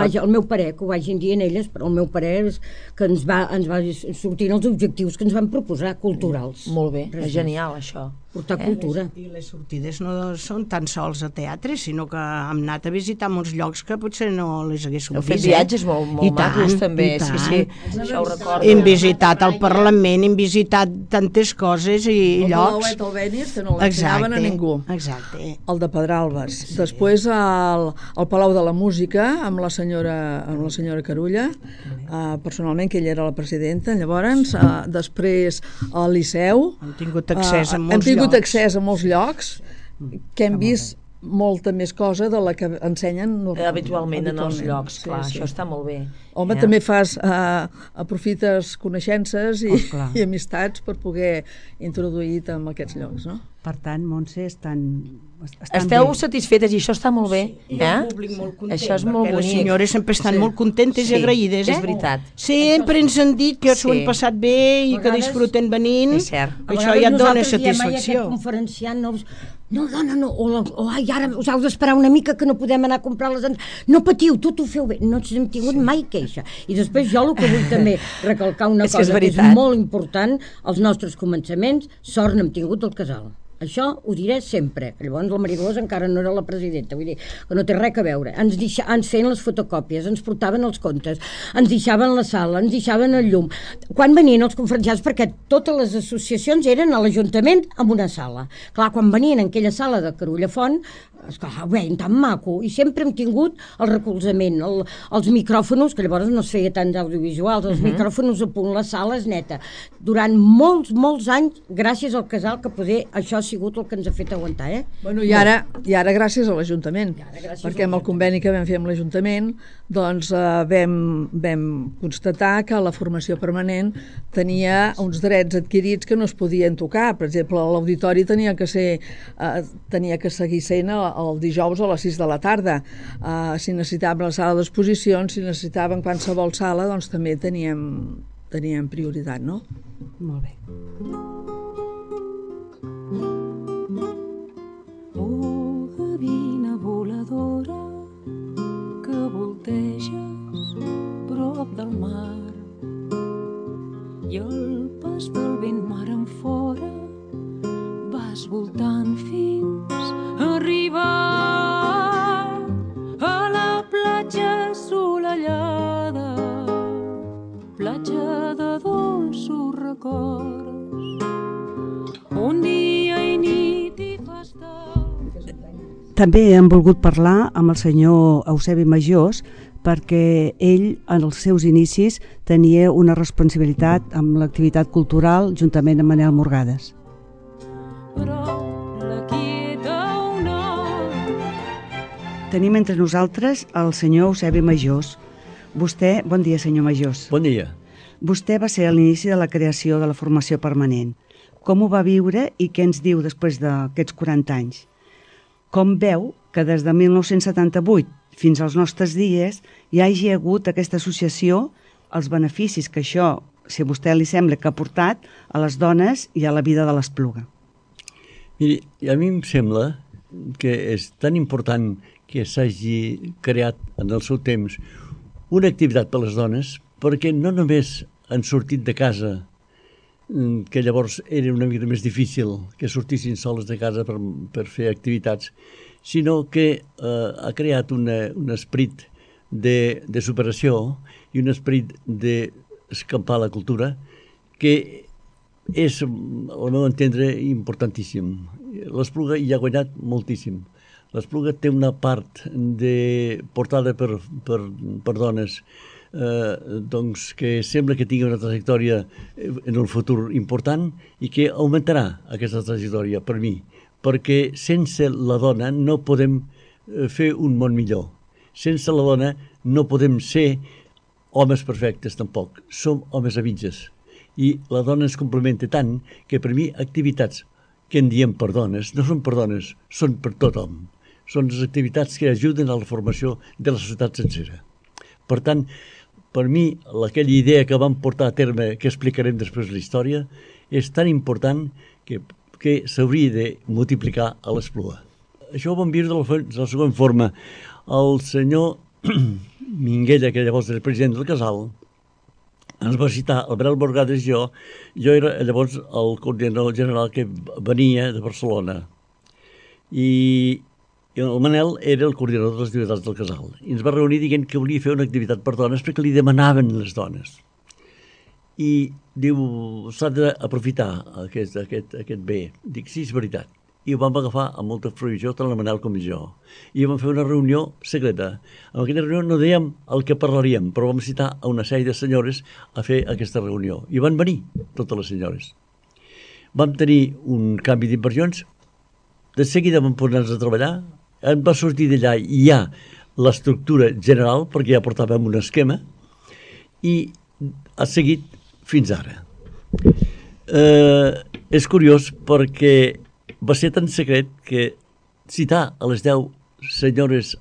vaja, el meu parer, que ho vagin dient elles, però el meu parer és que ens va, ens va sortint els objectius que ens van proposar, culturals. Molt bé, és genial això. portar eh? cultura. I les sortides no són tan sols a teatre, sinó que hem anat a visitar molts llocs que potser no les haguéssim vist. Heu fet viatges molt, molt macos, també. Sí, sí, això ho recordo. Hem visitat el Parlament, hem visitat tantes coses i el llocs. El Palauet Albéniz, que no l'ensenyaven a ningú. Exacte. El de Pedralbes. Sí. Després el, el Palau de la Música, amb la senyora, amb la senyora Carulla, uh, personalment, que ella era la presidenta. Llavors, uh, després al Liceu. Hem tingut accés a molts uh, hem tingut llocs. accés a molts llocs que hem vist molta més cosa de la que ensenyen habitualment, habitualment en els llocs, sí, clar, sí. Això està molt bé. Home, ja. També fas, uh, aprofites coneixences i, oh, i amistats per poder introduir en aquests llocs, no? Per tant, Montse, estan, estan Esteu bé. satisfetes i això està molt bé. Sí, eh? el públic molt content, això és molt bonic. Les senyores sempre estan sí. molt contentes sí, i agraïdes, eh? És veritat. Sempre ens han dit que s'ho Sí. han passat bé i que disfruten venint. És cert. Això ja et dona satisfacció. Aquest conferenciant no, no, dona, no, o, la, o ai, ara us heu d'esperar una mica que no podem anar a comprar les entrades. No patiu, tot ho feu bé. No hem tingut mai queixa. I després jo el que vull també recalcar una és cosa que és, que és molt important, els nostres començaments, sort n'hem tingut al casal. Això ho diré sempre, que llavors la Marilós encara no era la presidenta, vull dir, que no té res a veure. Ens, deixa, ens feien les fotocòpies, ens portaven els comptes, ens deixaven la sala, ens deixaven el llum. Quan venien els conferenciants, perquè totes les associacions eren a l'Ajuntament amb una sala. Clar, quan venien en aquella sala de Carulla Font, esclar, veien tan maco, i sempre hem tingut el recolzament, el, els micròfonos, que llavors no es feia tants audiovisuals, els uh -huh. micròfonos a punt, la sala és neta. Durant molts, molts anys, gràcies al casal, que poder això ha sigut el que ens ha fet aguantar, eh? Bueno, i ara, i ara gràcies a l'Ajuntament, perquè amb el conveni que vam fer amb l'Ajuntament, doncs eh, vam, vam constatar que la formació permanent tenia uns drets adquirits que no es podien tocar. Per exemple, l'auditori tenia que ser, eh, tenia que seguir sent el dijous a les sis de la tarda. Uh, si necessitàvem la sala d'exposicions, si necessitàvem qualsevol sala, doncs també teníem, teníem prioritat, no? Molt bé. Oh, gavina voladora, que volteges prop del mar, i el pas del vent mar en fora vas voltant fins a arribar a la platja assolellada, platja de dolços records, on dia i nit hi fa estar. També hem volgut parlar amb el senyor Eusebi Majós, perquè ell, en els seus inicis, tenia una responsabilitat amb l'activitat cultural juntament amb Manel Morgades. Tenim entre nosaltres el senyor Eusebi Majós. Vostè, bon dia, senyor Majós. Bon dia. Vostè va ser a l'inici de la creació de la formació permanent. Com ho va viure i què ens diu després d'aquests quaranta anys? Com veu que des de mil nou-cents setanta-vuit fins als nostres dies hi hagi hagut aquesta associació, els beneficis que això, si a vostè li sembla, que ha portat a les dones i a la vida de l'Espluga? Miri, a mi em sembla que és tan important que s'hagi creat en el seu temps una activitat per a les dones, perquè no només han sortit de casa, que llavors era una mica més difícil que sortissin soles de casa per, per fer activitats, sinó que eh, ha creat una, un esperit de, de superació i un esperit d'escampar la cultura que és, al meu entendre, importantíssim. L'Espluga hi ha guanyat moltíssim. L'Espluga té una part de portada per, per, per dones eh, doncs que sembla que tingui una trajectòria en el futur important i que augmentarà aquesta trajectòria per mi, perquè sense la dona no podem fer un món millor. Sense la dona no podem ser homes perfectes tampoc, som homes a mitges. I la dona ens complementa tant que per mi activitats que en diem per dones no són per dones, són per tothom. Són les activitats que ajuden a la formació de la societat sencera. Per tant, per mi, aquella idea que vam portar a terme, que explicarem després de la història, és tan important que, que s'hauria de multiplicar a l'Espluga. Això ho vam viure de la, de la següent forma. El senyor Minguella, que llavors era president del casal, ens va citar el Brel Borgades i jo. Jo era llavors el coordinador general que venia de Barcelona. I, i el Manel era el coordinador de les activitats del casal. I ens va reunir dient que volia fer una activitat per dones perquè li demanaven les dones. I diu, s'ha d'aprofitar aquest, aquest, aquest bé. Dic, sí, és veritat. I ho vam agafar amb molta fruïció, tant el Manel com jo. I vam fer una reunió secreta. En aquella reunió no dèiem el que parlaríem, però vam citar a una sèrie de senyores a fer aquesta reunió. I van venir totes les senyores. Vam tenir un canvi d'inversions, de seguida vam posar-nos a treballar, em va sortir d'allà ja l'estructura general, perquè ja portàvem un esquema, i ha seguit fins ara. Eh, és curiós perquè va ser tan secret que citar a les deu senyores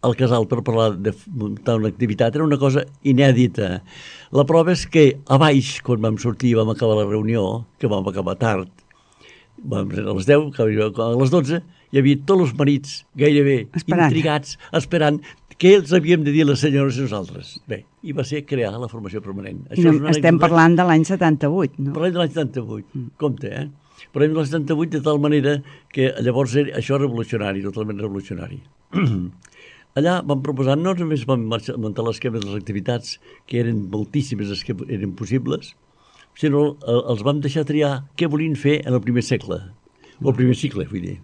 al casal per parlar de muntar una activitat era una cosa inèdita. La prova és que a baix, quan vam sortir i vam acabar la reunió, que vam acabar tard, vam ser a les deu, a les dotze, hi havia tots els marits gairebé esperant. Intrigats, esperant què els havíem de dir les senyores i nosaltres. Bé, i va ser crear la formació permanent. Això no, estem anècdota... parlant de l'any setanta-vuit, no? Parlem de l'any setanta-vuit, mm. compte, eh? Parlem de l'any setanta-vuit de tal manera que llavors era, això era revolucionari, totalment revolucionari. Allà vam proposar, no només vam marxar, muntar l'esquema de les activitats, que eren moltíssimes les que eren possibles, sinó els vam deixar triar què volien fer en el primer segle, o el primer cicle, vull dir.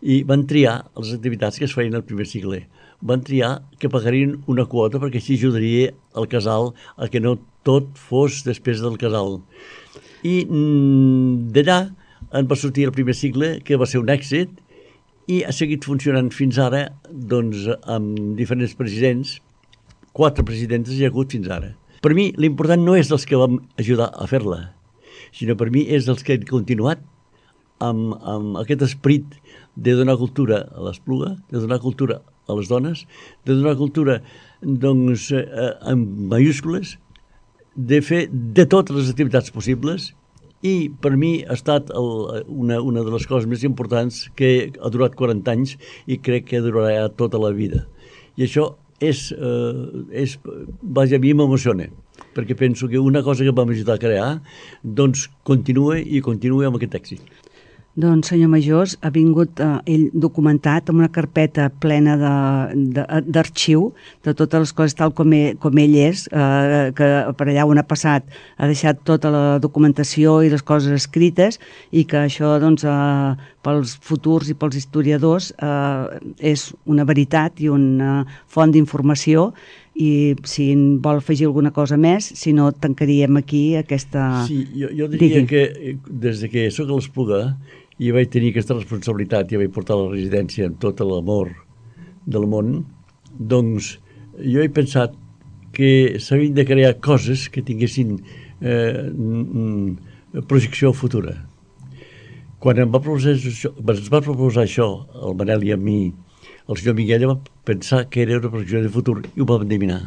I van triar les activitats que es feien al primer cicle. Van triar que pagarien una quota perquè així ajudaria el casal a que no tot fos després del casal. I mm, d'allà en va sortir el primer cicle, que va ser un èxit, i ha seguit funcionant fins ara doncs, amb diferents presidents, quatre presidents hi ha hagut fins ara. Per mi l'important no és els que vam ajudar a fer-la, sinó per mi és els que han continuat amb, amb aquest esperit de donar cultura a l'Espluga, de donar cultura a les dones, de donar cultura doncs, eh, amb mayúscules, de fer de totes les activitats possibles, i per mi ha estat el, una, una de les coses més importants que ha durat quaranta anys i crec que durarà tota la vida. I això és, eh, és vaja, a mi m'emociona, perquè penso que una cosa que vam ajudar a crear doncs continua i continua amb aquest èxit. Doncs, senyor Majós, ha vingut eh, ell documentat amb una carpeta plena d'arxiu de, de, de totes les coses tal com ell, com ell és, eh, que per allà on ha passat ha deixat tota la documentació i les coses escrites i que això doncs, eh, pels futurs i pels historiadors eh, és una veritat i una font d'informació i si en vol afegir alguna cosa més, si no tancaríem aquí aquesta... Sí, jo, jo diria Digui. que des de que soc a l'Espluga i vaig tenir aquesta responsabilitat i vaig portar la residència amb tot l'amor del món, doncs jo he pensat que s'havien de crear coses que tinguessin eh, projecció futura. Quan em va proposar això, ens va proposar això, el Manel i a mi, el senyor Miguel va pensar que era una projecció de futur i ho va endevinar.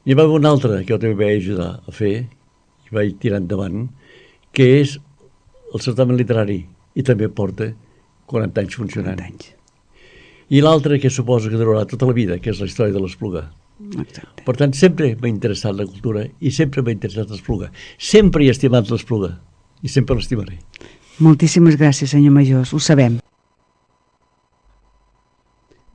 N'hi va haver una altra que jo també vaig ajudar a fer i vaig tirar endavant, que és el certamen literari, i també porta quaranta anys funcionant. quaranta anys. I l'altre que suposo que durarà tota la vida, que és la història de l'Espluga. Exacte. Per tant, sempre m'ha interessat la cultura i sempre m'ha interessat l'Espluga. Sempre he estimat l'Espluga i sempre l'estimaré. Moltíssimes gràcies, senyor Majós, ho sabem.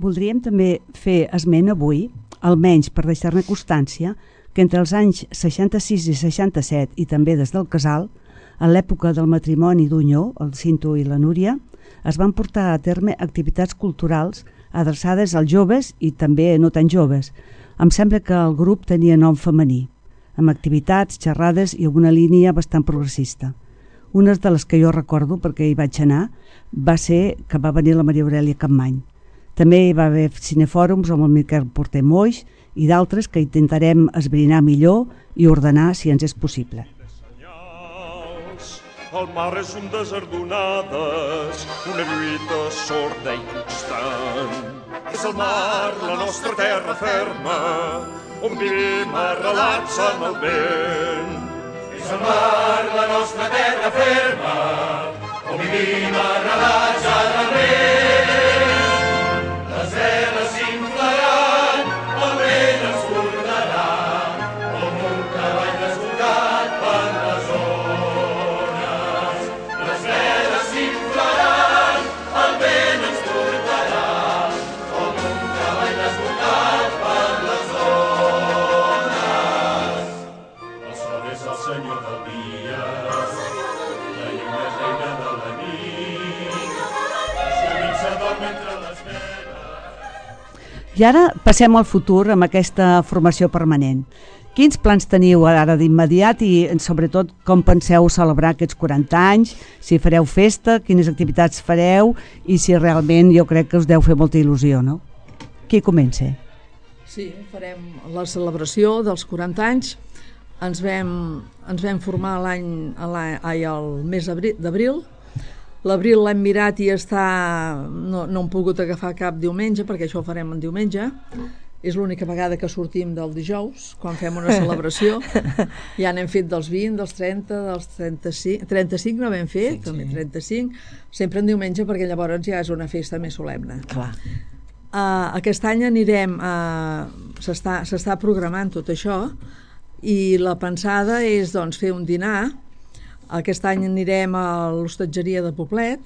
Voldríem també fer esment avui, almenys per deixar-ne constància, que entre els anys seixanta-sis i seixanta-set i també des del casal, a l'època del matrimoni d'Unyó, el Cinto i la Núria, es van portar a terme activitats culturals adreçades als joves i també no tan joves. Em sembla que el grup tenia nom femení, amb activitats, xerrades i una línia bastant progressista. Una de les que jo recordo, perquè hi vaig anar, va ser que va venir la Maria Aurèlia Capmany. També hi va haver cinefòrums amb el Miquel Porter Moix i d'altres que intentarem esbrinar millor i ordenar si ens és possible. El mar és un desert d'onades, una lluita sorda i constant. És el mar, la nostra terra ferma, on vivim arrelats en el vent. És el mar, la nostra terra ferma, on vivim arrelats en el vent. Les veles s'inflaran, el vent ens portarà, com un cavall I ara passem al futur amb aquesta formació permanent. Quins plans teniu ara d'immediat i sobretot com penseu celebrar aquests quaranta anys, si fareu festa, quines activitats fareu i si realment jo crec que us deu fer molta il·lusió, no? Qui comença? Sí, farem la celebració dels quaranta anys. Ens vam, ens vam formar l'any, ai, el mes d'abril. L'abril l'hem mirat i està... No, no hem pogut agafar cap diumenge, perquè això ho farem en diumenge. És l'única vegada que sortim del dijous, quan fem una celebració. Ja n'hem fet dels vint, dels trenta, dels trenta-cinc... trenta-cinc no hem fet, sí, també trenta-cinc. Sempre en diumenge, perquè llavors ja és una festa més solemne. Clar. Uh, aquest any anirem... Uh, s'està s'està programant tot això i la pensada és doncs, fer un dinar. Aquest any anirem a l'hostatgeria de Poblet.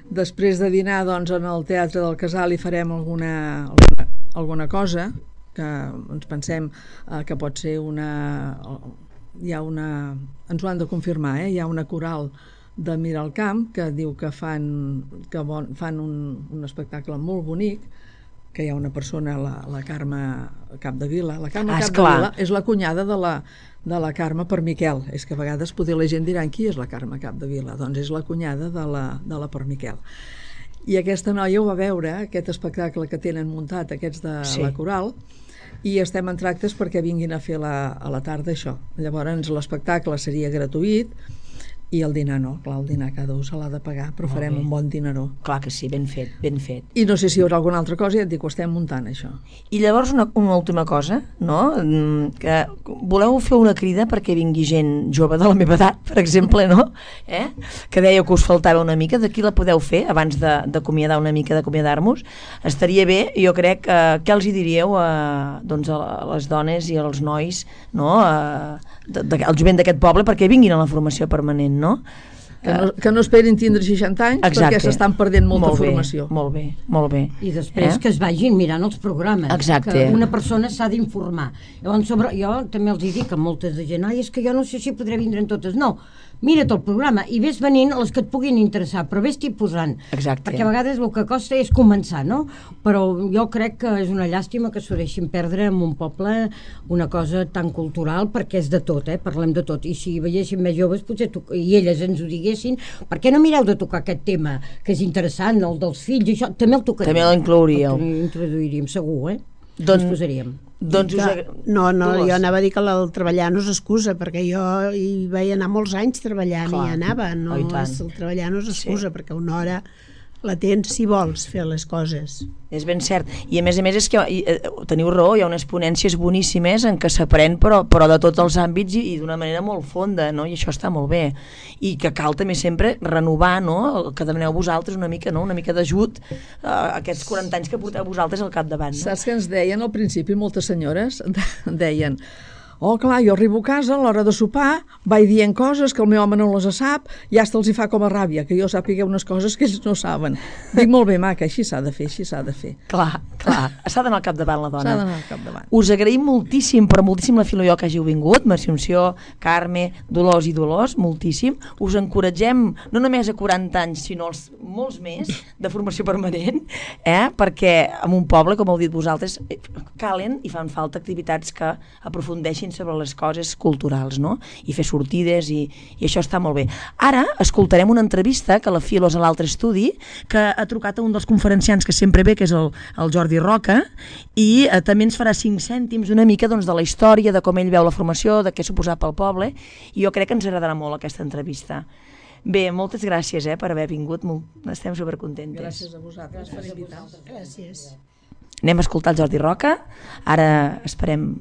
Després de dinar doncs, en el Teatre del Casal hi farem alguna, alguna, alguna cosa que ens pensem eh, que pot ser una... Hi ha una... Ens ho han de confirmar, eh? Hi ha una coral de Miralcamp que diu que fan, que bon, fan un, un espectacle molt bonic, que hi ha una persona, la, la Carme Capdevila. La Carme ah, Capdevila és la cunyada de la, de la Carme Permiquel. És que a vegades poder la gent diran qui és la Carme Capdevila. Doncs és la cunyada de la, de la Permiquel. I aquesta noia ho va veure, aquest espectacle que tenen muntat, aquests de sí. la coral, i estem en tractes perquè vinguin a fer la, a la tarda això. Llavors l'espectacle seria gratuït, i el dinar no, clar, el dinar cada un se l'ha de pagar, però farem un bon dinaró. Clar que sí, ben fet, ben fet. I no sé si hi haurà alguna altra cosa, ja et dic, ho estem muntant, això. I llavors una, una última cosa, no? Que voleu fer una crida perquè vingui gent jove de la meva edat, per exemple, no? Eh? Que dèieu que us faltava una mica, d'aquí la podeu fer, abans d'acomiadar una mica, d'acomiadar-nos. Estaria bé, jo crec, que què els hi diríeu a, doncs a les dones i als nois, no? A, de, de, al jovent d'aquest poble, perquè vinguin a la formació permanent, no? Que no, que no esperin tindre seixanta anys. Exacte. Perquè s'estan perdent molta molt bé, formació. Molt bé, molt bé. I després eh? que es vagin mirant els programes. Exacte. Que una persona s'ha d'informar. Llavors, sobre, jo també els dic a moltes de gent, ai, és que jo no sé si podré vindre en totes. No, mira't el programa i ves venint les que et puguin interessar, però ves-t'hi posant. Exacte. Perquè a vegades el que costa és començar, no? Però jo crec que és una llàstima que s'ho deixin perdre en un poble una cosa tan cultural, perquè és de tot, eh? Parlem de tot. I si veiéssim més joves, potser tu, i elles ens ho diguessin, per què no mireu de tocar aquest tema, que és interessant, el dels fills, això, també el tocaríem. També l'inclouríeu. El introduiríem, segur, eh? Doncs, ens posaríem. Doncs us ag... No, no, jo anava a dir que el treballar no és excusa, perquè jo hi vaig anar molts anys treballant. Clar. I anava, no, oh, és, el treballar no és excusa, sí. Perquè una hora la tens si vols fer les coses. És ben cert, i a més a més és que eh, teniu raó, hi ha unes ponències boníssimes en què s'aprèn però, però de tots els àmbits i, i d'una manera molt fonda, no? I això està molt bé, i que cal també sempre renovar, no? El que demaneu vosaltres una mica, no? Una mica d'ajut a aquests quaranta anys que porteu vosaltres al capdavant, no? Saps que ens deien al principi moltes senyores? Deien, oh clar, jo arribo a casa a l'hora de sopar, vaig dient coses que el meu home no les sap, ja hasta els hi fa com a ràbia, que jo sàpiga unes coses que ells no saben. Dic, molt bé, maca, així s'ha de fer, així s'ha de fer. Clar, clar, s'ha d'anar al capdavant la dona. S'ha d'anar al capdavant. Us agraïm moltíssim, però moltíssim la Filo i jo que hàgiu vingut, Mercè Unció, Carme, Dolors i Dolors, moltíssim. Us encoratgem, no només a quaranta anys, sinó als molts més de formació permanent, eh? Perquè en un poble, com heu dit vosaltres, calen i fan falta activitats que aprofundeixin sobre les coses culturals, no? I fer sortides i, i això està molt bé. Ara escoltarem una entrevista que la Filo és a l'altre estudi, que ha trucat a un dels conferenciants que sempre ve, que és el, el Jordi Roca, i eh, també ens farà cinc cèntims una mica doncs, de la història, de com ell veu la formació, de què suposa pel poble, i jo crec que ens agradarà molt aquesta entrevista. Bé, moltes gràcies eh, per haver vingut, molt, estem supercontentes. Gràcies a vosaltres per invitar-nos. Gràcies. Anem a escoltar el Jordi Roca, ara esperem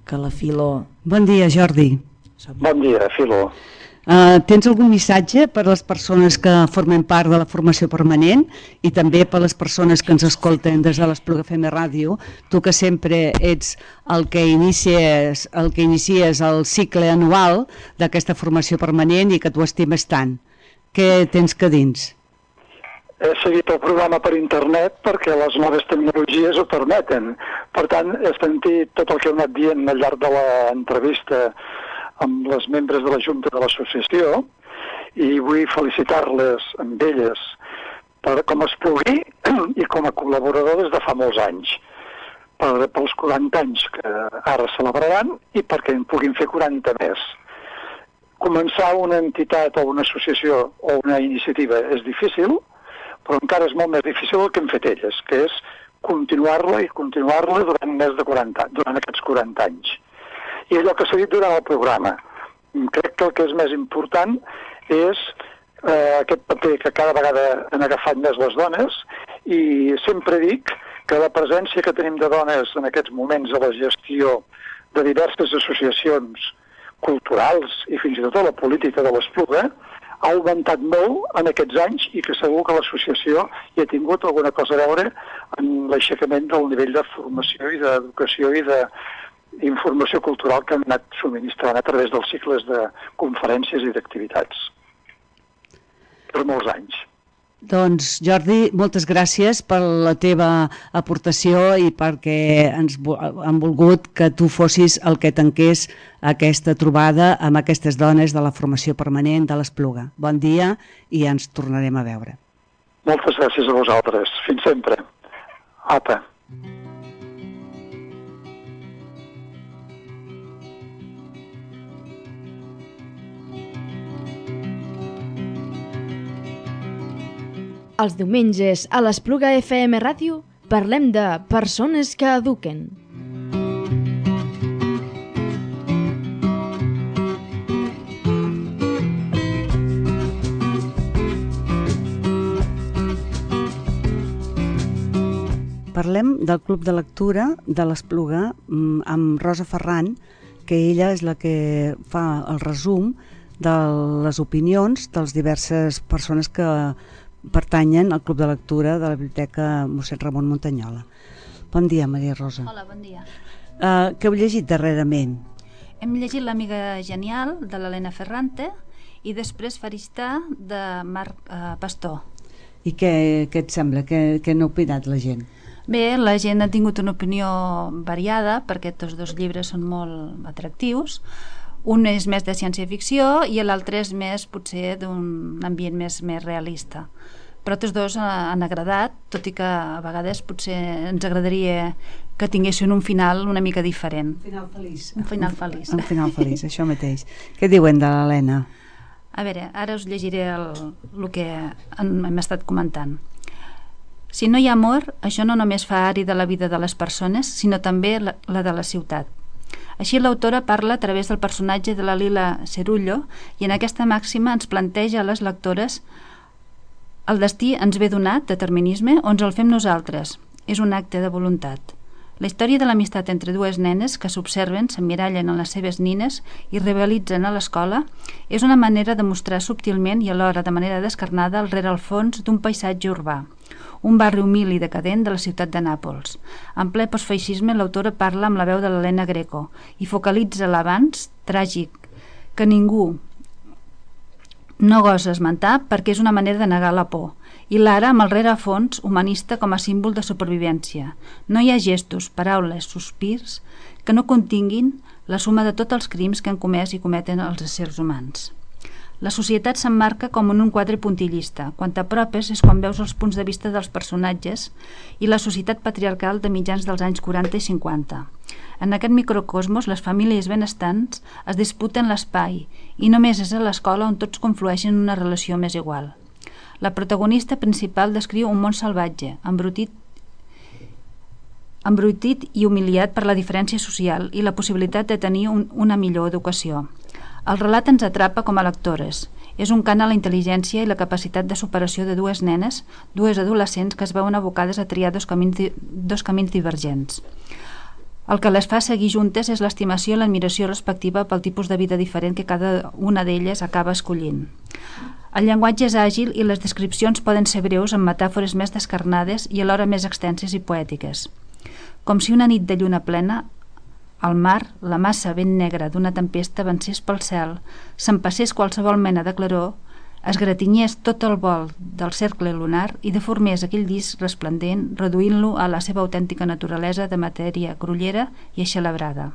que la Filo... Bon dia, Jordi. Bon dia, Filo. Uh, tens algun missatge per a les persones que formen part de la formació permanent i també per a les persones que ens escolten des de l'Espluga F M Ràdio, tu que sempre ets el que inicies el que inicies el cicle anual d'aquesta formació permanent i que tu estimes tant. Què tens que dins? He seguit el programa per internet perquè les noves tecnologies ho permeten. Per tant, he sentit tot el que heu anat dient al llarg de l'entrevista amb les membres de la Junta de l'Associació i vull felicitar-les amb elles per com es pugui i com a col·laborador des de fa molts anys. per, pels quaranta anys que ara celebraran i perquè en puguin fer quaranta més. Començar una entitat o una associació o una iniciativa és difícil, però encara és molt més difícil el que han fet elles, que és continuar-la i continuar-la durant més de quaranta, durant aquests quaranta anys. I allò que s'ha dit durant el programa, crec que el que és més important és eh, aquest paper que cada vegada han agafat més les dones, i sempre dic que la presència que tenim de dones en aquests moments a la gestió de diverses associacions culturals i fins i tot a la política de l'Espluga ha augmentat molt en aquests anys i que segur que l'associació hi ha tingut alguna cosa a veure en l'aixecament del nivell de formació i d'educació i d'informació cultural que han anat subministrant a través dels cicles de conferències i d'activitats per molts anys. Doncs, Jordi, moltes gràcies per la teva aportació i perquè ens han volgut que tu fossis el que tanqués aquesta trobada amb aquestes dones de la formació permanent de l'Espluga. Bon dia i ens tornarem a veure. Moltes gràcies a vosaltres. Fins sempre. Apa. Els diumenges a l'Espluga F M Ràdio parlem de persones que eduquen. Parlem del Club de Lectura de l'Espluga amb Rosa Ferran, que ella és la que fa el resum de les opinions de les diverses persones que pertanyen al Club de Lectura de la Biblioteca Mossèn Ramon Muntanyola. Bon dia, Maria Rosa. Hola, bon dia. Uh, què heu llegit darrerament? Hem llegit L'amiga genial, de l'Helena Ferrante, i després Faristà, de Marc uh, Pastor. I què, què et sembla? Què, què n'ha opinat la gent? Bé, la gent ha tingut una opinió variada, perquè tots dos llibres són molt atractius. Un és més de ciència-ficció i l'altre és més, potser, d'un ambient més, més realista. Però tots dos han agradat, tot i que a vegades potser ens agradaria que tinguessin un final una mica diferent. Un final feliç. Un final feliç. Un final feliç, això mateix. Què diuen de l'Helena? A veure, ara us llegiré el, el que hem estat comentant. Si no hi ha amor, això no només fa àrida la vida de les persones, sinó també la, la de la ciutat. Així l'autora parla a través del personatge de la Lila Cerullo i en aquesta màxima ens planteja a les lectores el destí ens ve donat, determinisme, o ens el fem nosaltres. És un acte de voluntat. La història de l'amistat entre dues nenes que s'observen, s'emmirallen en les seves nines i rivalitzen a l'escola és una manera de mostrar subtilment i alhora de manera descarnada el rerefons d'un paisatge urbà, un barri humil i decadent de la ciutat de Nàpols. En ple postfeixisme, l'autora parla amb la veu de l'Helena Greco i focalitza l'avanç tràgic que ningú no gosa esmentar perquè és una manera de negar la por, i l'ara amb el rerefons humanista com a símbol de supervivència. No hi ha gestos, paraules, sospirs que no continguin la suma de tots els crims que han comès i cometen els éssers humans. La societat s'emmarca com en un quadre puntillista. Quan t'apropes és quan veus els punts de vista dels personatges i la societat patriarcal de mitjans dels anys quaranta i cinquanta. En aquest microcosmos, les famílies benestants es disputen l'espai i només és a l'escola on tots conflueixen en una relació més igual. La protagonista principal descriu un món salvatge, embrutit, embrutit i humiliat per la diferència social i la possibilitat de tenir un, una millor educació. El relat ens atrapa com a lectores. És un cant a la intel·ligència i la capacitat de superació de dues nenes, dues adolescents que es veuen abocades a triar dos camins, dos camins divergents. El que les fa seguir juntes és l'estimació i l'admiració respectiva pel tipus de vida diferent que cada una d'elles acaba escollint. El llenguatge és àgil i les descripcions poden ser breus amb metàfores més descarnades i alhora més extenses i poètiques. Com si una nit de lluna plena, al mar, la massa ben negra d'una tempesta avancés pel cel, s'empassés qualsevol mena de claror, es gratinyés tot el vol del cercle lunar i deformés aquell disc resplendent, reduint-lo a la seva autèntica naturalesa de matèria grollera i eixelebrada.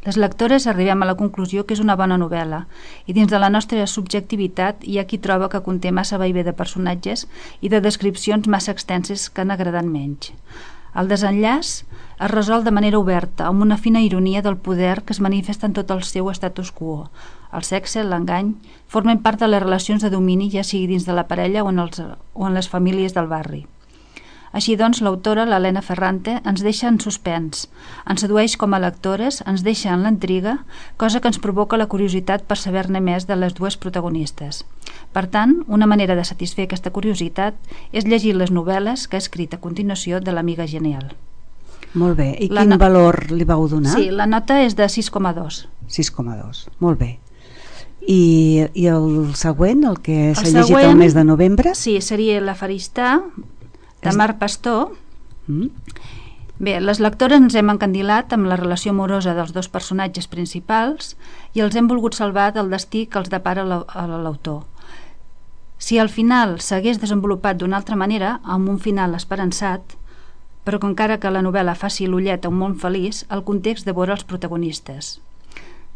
Les lectores arribem a la conclusió que és una bona novel·la i dins de la nostra subjectivitat hi ha qui troba que conté massa vaivé de personatges i de descripcions massa extenses que han agradat menys. El desenllaç es resol de manera oberta, amb una fina ironia del poder que es manifesta en tot el seu status quo. El sexe, l'engany, formen part de les relacions de domini, ja sigui dins de la parella o en, els, o en les famílies del barri. Així doncs, l'autora, l'Helena Ferrante, ens deixa en suspens, ens sedueix com a lectores, ens deixa en l'intriga, cosa que ens provoca la curiositat per saber-ne més de les dues protagonistes. Per tant, una manera de satisfer aquesta curiositat és llegir les novel·les que ha escrit a continuació de l'Amiga Genial. Molt bé. I La quin no... valor li vau donar? Sí, la nota és de sis coma dos. sis coma dos, molt bé. I, i el següent, el que s'ha El llegit següent, el mes de novembre? Sí, seria La Faristà, de És- Marc Pastor. Mm? Bé, les lectores ens hem encandilat amb la relació amorosa dels dos personatges principals i els hem volgut salvar del destí que els depara l'au- a l'autor. Si al final s'hagués desenvolupat d'una altra manera, amb un final esperançat, però que encara que la novel·la faci l'ullet a un món feliç, el context devora els protagonistes.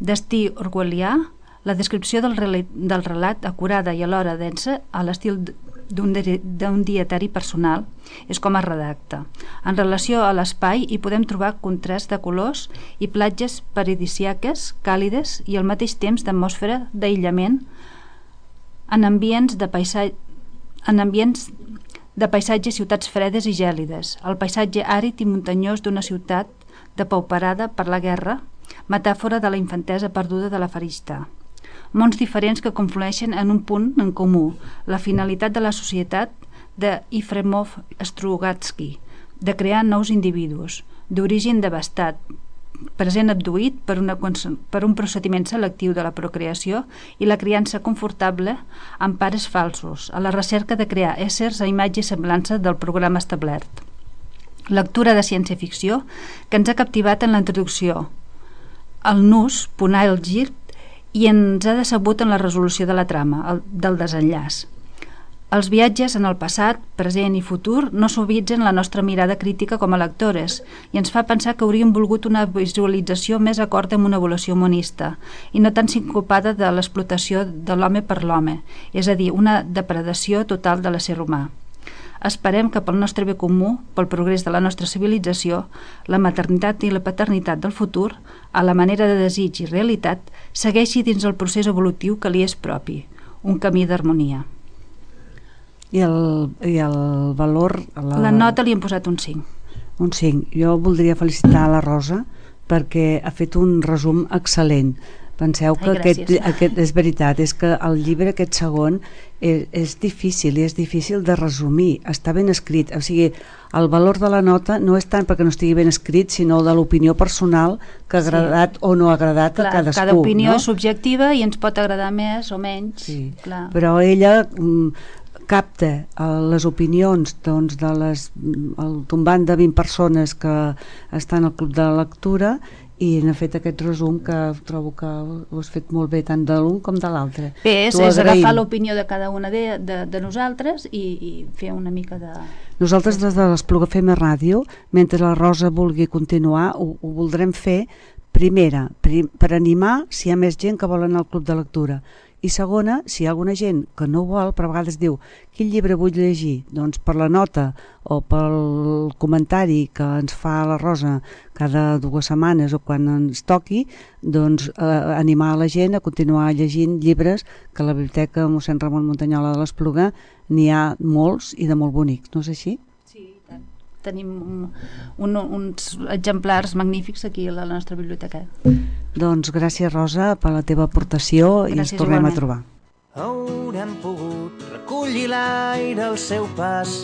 Destí orwellià, la descripció del, rel del relat acurada i alhora densa a l'estil d'un d'un dietari personal és com es redacta. En relació a l'espai hi podem trobar contrast de colors i platges paradisíaques, càlides i al mateix temps d'atmosfera d'aïllament en ambients de paisatge en ambients de paisatges ciutats fredes i gèlides, el paisatge àrid i muntanyós d'una ciutat depauperada per la guerra, metàfora de la infantesa perduda de la Faristà. Mons diferents que conflueixen en un punt en comú, la finalitat de la societat de Yefremov Strugatsky, de crear nous individus, d'origen devastat, present abduït per, una, per un procediment selectiu de la procreació i la criança confortable amb pares falsos, a la recerca de crear éssers a imatge i semblança del programa establert. Lectura de ciència-ficció que ens ha captivat en la introducció, el nus, punar el gir i ens ha decebut en la resolució de la trama, el, del desenllaç. Els viatges en el passat, present i futur no suavitzen la nostra mirada crítica com a lectores i ens fa pensar que hauríem volgut una visualització més acord amb una evolució monista i no tan sincopada de l'explotació de l'home per l'home, és a dir, una depredació total de l'ésser humà. Esperem que pel nostre bé comú, pel progrés de la nostra civilització, la maternitat i la paternitat del futur, a la manera de desig i realitat, segueixi dins el procés evolutiu que li és propi, un camí d'harmonia. I el, i el valor... La... la nota li hem posat un cinc. Un cinc. Jo voldria felicitar la Rosa perquè ha fet un resum excel·lent. Penseu que Ai, aquest, aquest, és veritat, és que el llibre aquest segon és, és difícil i és difícil de resumir, està ben escrit, o sigui, el valor de la nota no és tant perquè no estigui ben escrit, sinó de l'opinió personal que ha agradat sí. o no ha agradat clar, a cadascú. Cada opinió no? és subjectiva i ens pot agradar més o menys. Sí. Clar. Però ella mm, capta eh, les opinions doncs, de les, el tombant de vint persones que estan al club de lectura i n'ha fet aquest resum que trobo que ho has fet molt bé tant de l'un com de l'altre. Bé, és, és agafar l'opinió de cada una de, de, de nosaltres i, i fer una mica de... Nosaltres des de l'Espluga F M Ràdio, mentre la Rosa vulgui continuar, ho, ho voldrem fer primera, prim, per animar si hi ha més gent que vol anar al club de lectura. I segona, si hi ha alguna gent que no vol, però a vegades diu quin llibre vull llegir, doncs per la nota o pel comentari que ens fa la Rosa cada dues setmanes o quan ens toqui, doncs eh, animar la gent a continuar llegint llibres que a la biblioteca mossèn Ramon Muntanyola de l'Espluga n'hi ha molts i de molt bonics, no és així? Sí, i tant. Tenim un, un, uns exemplars magnífics aquí a la nostra biblioteca. Doncs gràcies, Rosa, per la teva aportació gràcies, i ens tornem igualment. A trobar. Haurem pogut recollir l'aire al seu pas,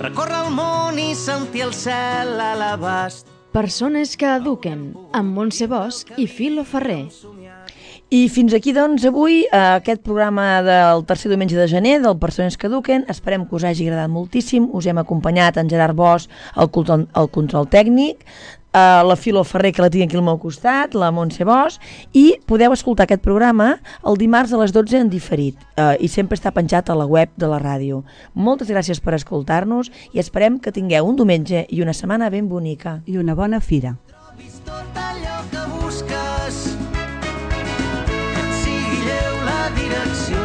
recórrer el món i sentir el cel a l'abast. Persones que eduquen, amb Montse Bosch i Filo Ferrer. I fins aquí, doncs, avui, aquest programa del tercer diumenge de gener del Persones que eduquen. Esperem que us hagi agradat moltíssim. Us hem acompanyat en Gerard Bosch al control, al control tècnic, a la Filo Ferrer, que la tinc aquí al meu costat, la Montse Bosch, i podeu escoltar aquest programa el dimarts a les dotze en diferit, eh, i sempre està penjat a la web de la ràdio. Moltes gràcies per escoltar-nos i esperem que tingueu un diumenge i una setmana ben bonica. I una bona fira. Tot allò que busques, que et sigui lleu la direcció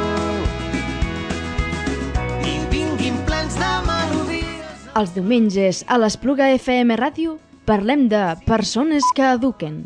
i vinguin plens de melodies. Els diumenges a l'Espluga F M Ràdio parlem de persones que eduquen.